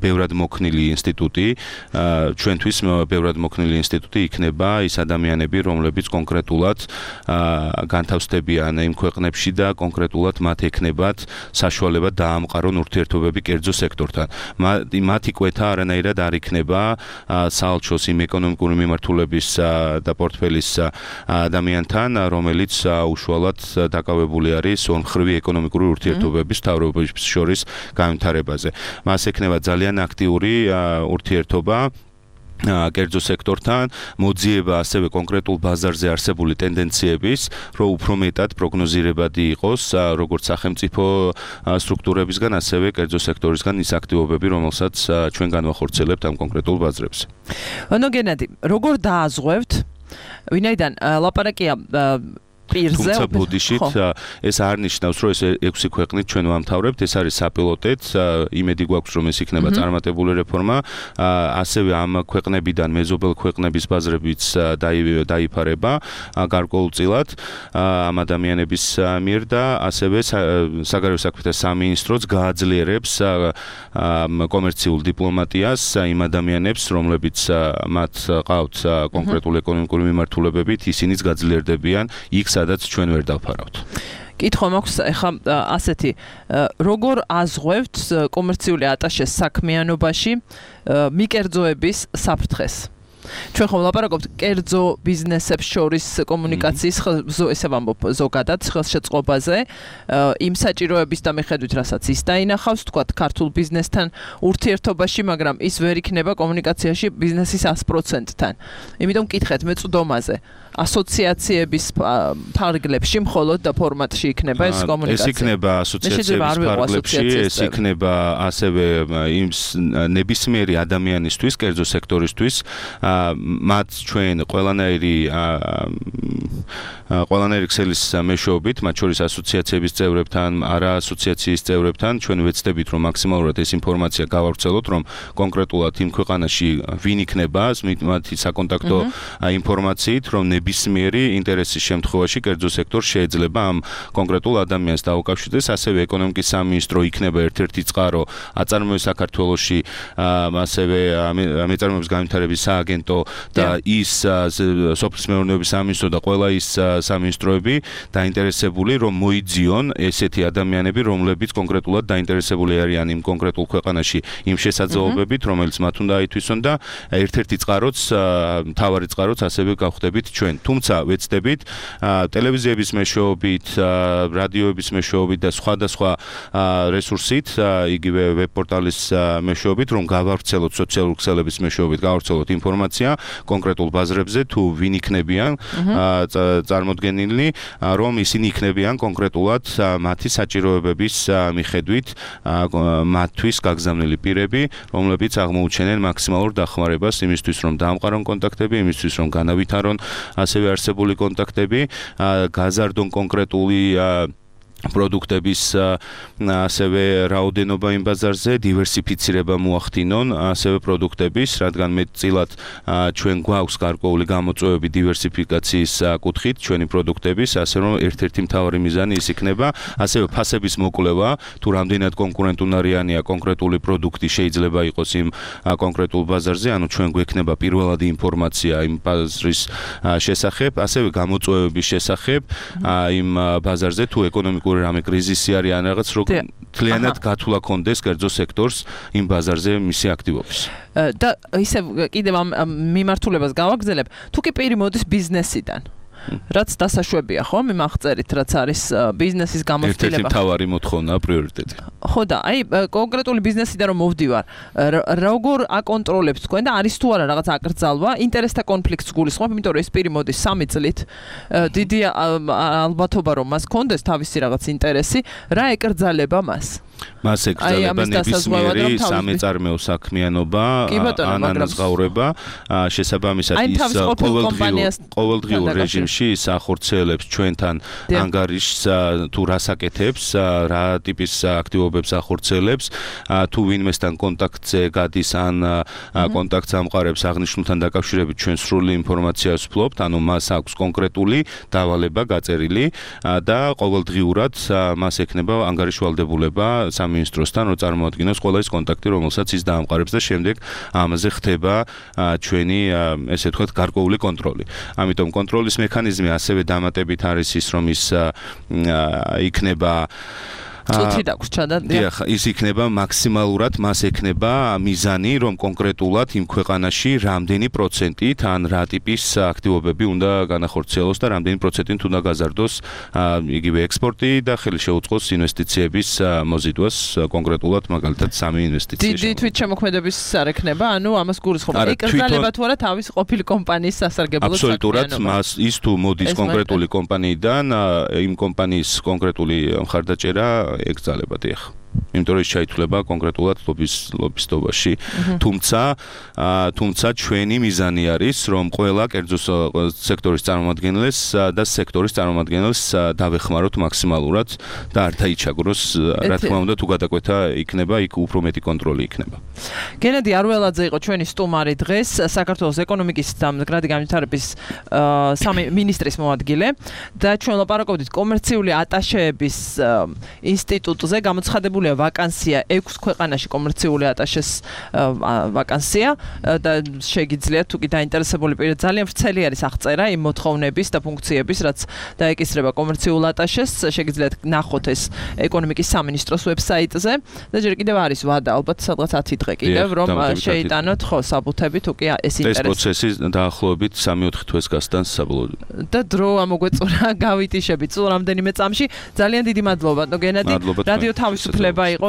ბევრად მოქნილი ინსტიტუტი, ჩვენთვის ბევრად მოქნილი ინსტიტუტი იქნება ის ადამიანები, რომლებიც კონკრეტულად განთავსდებიან იმ ქვეყნებში და კონკრეტულად მათ ექნებათ საშუალება დაამყარონ ურთიერთობები კერძო სექტორთან. მათი კვეთა არანაირად არ იქნება საალჩოს იმ ეკონომიკური მიმართულების და პორტფელის ადამიანთან, რომელიც უშუალოდ დაკავებული არის ორმხრივი ეკონომიკური ურთიერთობების მთავრობების შორის განვითარებაზე. მას ექნება ძალიან აქტიური ურთიერთობა კერძო სექტორთან, მოძიება ასევე კონკრეტულ ბაზარზე არსებული ტენდენციების, რომ უფრო მეტად პროგნოზირებადი იყოს როგორც სახელმწიფო სტრუქტურებისგან, ასევე კერძო სექტორისგან ის აქტივობები, რომელსაც ჩვენ განვახორციელებთ ამ კონკრეტულ ბაზრებზე.
ანუ გენადი, როგორ დააზღვევთ? ვინაიდან ლაპარაკია პირზე,
თუმცა ბოდიშით ეს არ ნიშნავს, რომ ეს ექვსი ქვეყნით ჩვენ ვამთავრებთ, ეს არის საპილოტეთ, იმედი გვაქვს, რომ ეს იქნება წარმატებული რეფორმა, ასევე ამ ქვეყნებიდან მეზობელ ქვეყნების ბაზრებიც დაიფარება გარკვეულწილად ამ ადამიანების მიერ და ასევე საგარეო საქმეთა სამინისტროც გააძლიერებს კომერციულ დიპლომატიას იმ ადამიანებს, რომლებიც მათ ყავთ კონკრეტული ეკონომიკური მიმართულებებით, ისინიც გაძლიერდებიან იქ სადაც ჩვენ ვერ დავფარავთ.
კითხვა მაქვს ახლა ასეთი, როგორ აზღვევთ კომერციული ატაშეს საქმიანობაში მიკერძოების საფრთხეს? ჩვენ ხომ ლაპარაკობთ კერძო ბიზნესებს შორის კომუნიკაციის ესე ვამბობ ზოგადად ხელშეწყობაზე, იმ საჭიროების და მიხედვით, რასაც ის დაინახავს, თქვათ ქართულ ბიზნესთან ურთიერთობაში, მაგრამ ის ვერ იქნება კომუნიკაციაში ბიზნესის ას პროცენტთან. იმიტომ კითხეთ მეწვდომაზე. ასოციაციების ფარგლებში მხოლოდ და ფორმატში იქნება ეს კომუნიკაცია.
ეს იქნება ასოციაციების ფარგლებში, ეს იქნება ასევე იმ ნებისმიერი ადამიანისთვის, კერძო სექტორისთვის, მათ ჩვენ ყველანაირი ყველანაირი ქსელის მეშვეობით, მათ შორის ასოციაციების წევრებთან, არა ასოციაციის წევრებთან, ჩვენ ვეცდებით, რომ მაქსიმალურად ეს ინფორმაცია გავავრცელოთ, რომ კონკრეტულად იმ ქვეყანაში ვინ იქნება მათი საკონტაქტო ინფორმაციით, რომ ნებისმიერი ინტერესის შემთხვევაში კერძო სექტორს შეიძლება ამ კონკრეტულ ადამიანს დაუკავშირდეს, ასევე ეკონომიკის სამინისტრო იქნება ერთ-ერთი წყარო აწარმოებს საქართველოში, ასევე მეწარმოების განვითარების სააგენტო და ის სოფლის მეურნეობის სამინისტრო და ყველა ის სამინისტროები დაინტერესებული, რომ მოიძიონ ესეთი ადამიანები, რომლებიც კონკრეტულად დაინტერესებული არიან იმ კონკრეტულ ქვეყანაში იმ შესაძლებლობებით, რომელიც მათ უნდა აითვისონ და ერთ-ერთი წყაროც, მთავარი წყაროც ასევე გავხდებით ჩვენ. თუმცა ვეცდებით ტელევიზიების მეშვეობით, რადიოების მეშვეობით და სხვადასხვა რესურსით, იგივე ვებპორტალის მეშვეობით, რომ გავავრცელოთ სოციალური ქსელების მეშვეობით, გავავრცელოთ ინფორმაცია კონკრეტულ ბაზრებზე, თუ ვინ იქნებიან წარმოდგენილი, რომ ისინი იქნებიან კონკრეტულად მათი საჭიროებების მიხედვით მათთვის გაგზავნილი პირები, რომლებიც აღმოუჩენენ მაქსიმალურ დახმარებას იმისთვის, რომ დაამყარონ კონტაქტები, იმისთვის, რომ განავითარონ ასევე არსებული კონტაქტები, გაზარდონ კონკრეტული პროდუქტების ასევე რაოდენობა იმ ბაზარზე, დივერსიფიცირება მოახდინონ ასევე პროდუქტების, რადგან მეტწილად ჩვენ გვაქვს გარკვეული გამოწვევები დივერსიფიკაციის კუთხით ჩვენი პროდუქტების, ასე რომ ერთ-ერთი მთავარი მიზანი ის იქნება, ასევე ფასების მოკვლევა, თუ რამდენად კონკურენტუნარიანია კონკრეტული პროდუქტი შეიძლება იყოს იმ კონკრეტულ ბაზარზე, ანუ ჩვენ გვექნება პირველადი ინფორმაცია იმ ბაზრის შესახებ, ასევე გამოწვევების შესახებ იმ ბაზარზე, თუ ეკონომიკური რამე კრიზისი არის ან რაღაც რო თლიანად გათვლა კონდეს კერძო სექტორს იმ ბაზარზე მისი აქტივობის.
და ისე კიდევ ამ მიმართულებას გავაგზელებ, თუ კი პირი მოდის ბიზნესიდან. რაც დასაშვებია, ხო, მიმაღწერით, რაც არის ბიზნესის გამოცდილება.
ერთ-ერთი მთავარი მოთხოვნა, პრიორიტეტი.
ხო და აი კონკრეტული ბიზნესიდან რომ მოვდივარ, როგორ აკონტროლებთ თქვენ და არის თუ არა რაღაც აკრძალვა, ინტერესთა კონფლიქტს გულისხმობ, იმიტომ რომ ეს პირი მოდის სამი წლით, დიდი ალბათობა რომ მას კონდეს თავისი რაღაც ინტერესი, რა ეკრძალება მას?
მას ეკრძალება ნებისმიერი სამეწარმეო საქმიანობა ან ანაზღაურება შესაბამისად ის ყოველდღიურ რეჟიმში ის ახორციელებს ჩვენთან ანგარიშს თუ რასაკეთებს რა ტიპის აქტივობებს ახორციელებს თუ ვინმესთან კონტაქტზე გადის ან კონტაქტს ამყარებს აღნიშნულთან დაკავშირებით ჩვენ სრული ინფორმაციას ვფლობთ ანუ მას აქვს კონკრეტული დავალება გაწერილი და ყოველდღიურად მას ექნება ანგარიშვალდებულება სამინისტროსთან რომ წარმოადგინოს ყველა ის კონტაქტი რომელსაც ის დაამყარებს და შემდეგ ამაზე ხდება ჩვენი ესე ვთქვათ გარკვეული კონტროლი. ამიტომ კონტროლის მექანიზმი ასევე დამატებით არის ის რომ ის იქნება
წუთი დაგვრჩა და
დიახ ის იქნება მაქსიმალურად მას ექნება მიზანი რომ კონკრეტულად იმ ქვეყანაში რამდენი პროცენტით ან რა ტიპის აქტივობები უნდა განახორციელოს და რამდენი პროცენტით უნდა გაზარდოს იგივე ექსპორტი და ხელი შეუწყოს ინვესტიციების მოზიდვას კონკრეტულად მაგალითად სამი ინვესტიცია.
დიდი თვით შემოქმედების არ ექნება, ანუ ამას გულისხმობ. ეკრძალება თუ არა თავის ყოფილი კომპანიის სასარგებლო საქმიანობა.
აბსოლუტურად მას ის თუ მოდის კონკრეტული კომპანიიდან იმ კომპანიის კონკრეტული მხარდაჭერა ეკრძალება დიახ. იმიტომ რომ ის შეითვლება კონკრეტულად ლობის ლობისტობაში. თუმცა თუმცა ჩვენი მიზანი არის რომ ყველა კერძო სექტორის წარმომადგენლებს და სექტორის წარმომადგენლებს დავეხმაროთ მაქსიმალურად და არ დაიჩაგროს რა თქმა უნდა თუ გადაკვეთა იქნება იქ უფრო მეტი კონტროლი იქნება.
გენადი არველაძე იყო ჩვენი სტუმარი დღეს საქართველოს ეკონომიკის და მდგრადი განვითარების სამი მინისტრის მოადგილე და ჩვენ ლაპარაკობდით კომერციული ატაშეების ინსტიტუტზე გამოცხადებული ვაკანსია ექვს ქვეყანაში კომერციული ატაშეს ვაკანსია და შეგიძლიათ თუ კი დაინტერესებული პირი ძალიან ვრცელი არის აღწერა იმ მოთხოვნების და ფუნქციების რაც დაეკისრება კომერციულ ატაშეს შეგიძლიათ ნახოთ ეს ეკონომიკის სამინისტროს ვებსაიტზე და ჯერ კიდევ არის ვადა ალბათ სადღაც ათი დღე კიდევ რომ შეიტანოთ ხო საბუთები თუ კი ეს ინტერესი
ეს პროცესი დაახლოებით სამი ოთხი თვეს გასტანს საბოლოოდ
და დრო ამოგვეწურა გავიტიშებით სულ რამდენიმე წამში ძალიან დიდი მადლობა ნო გენადი რადიო თავისუფლება იყო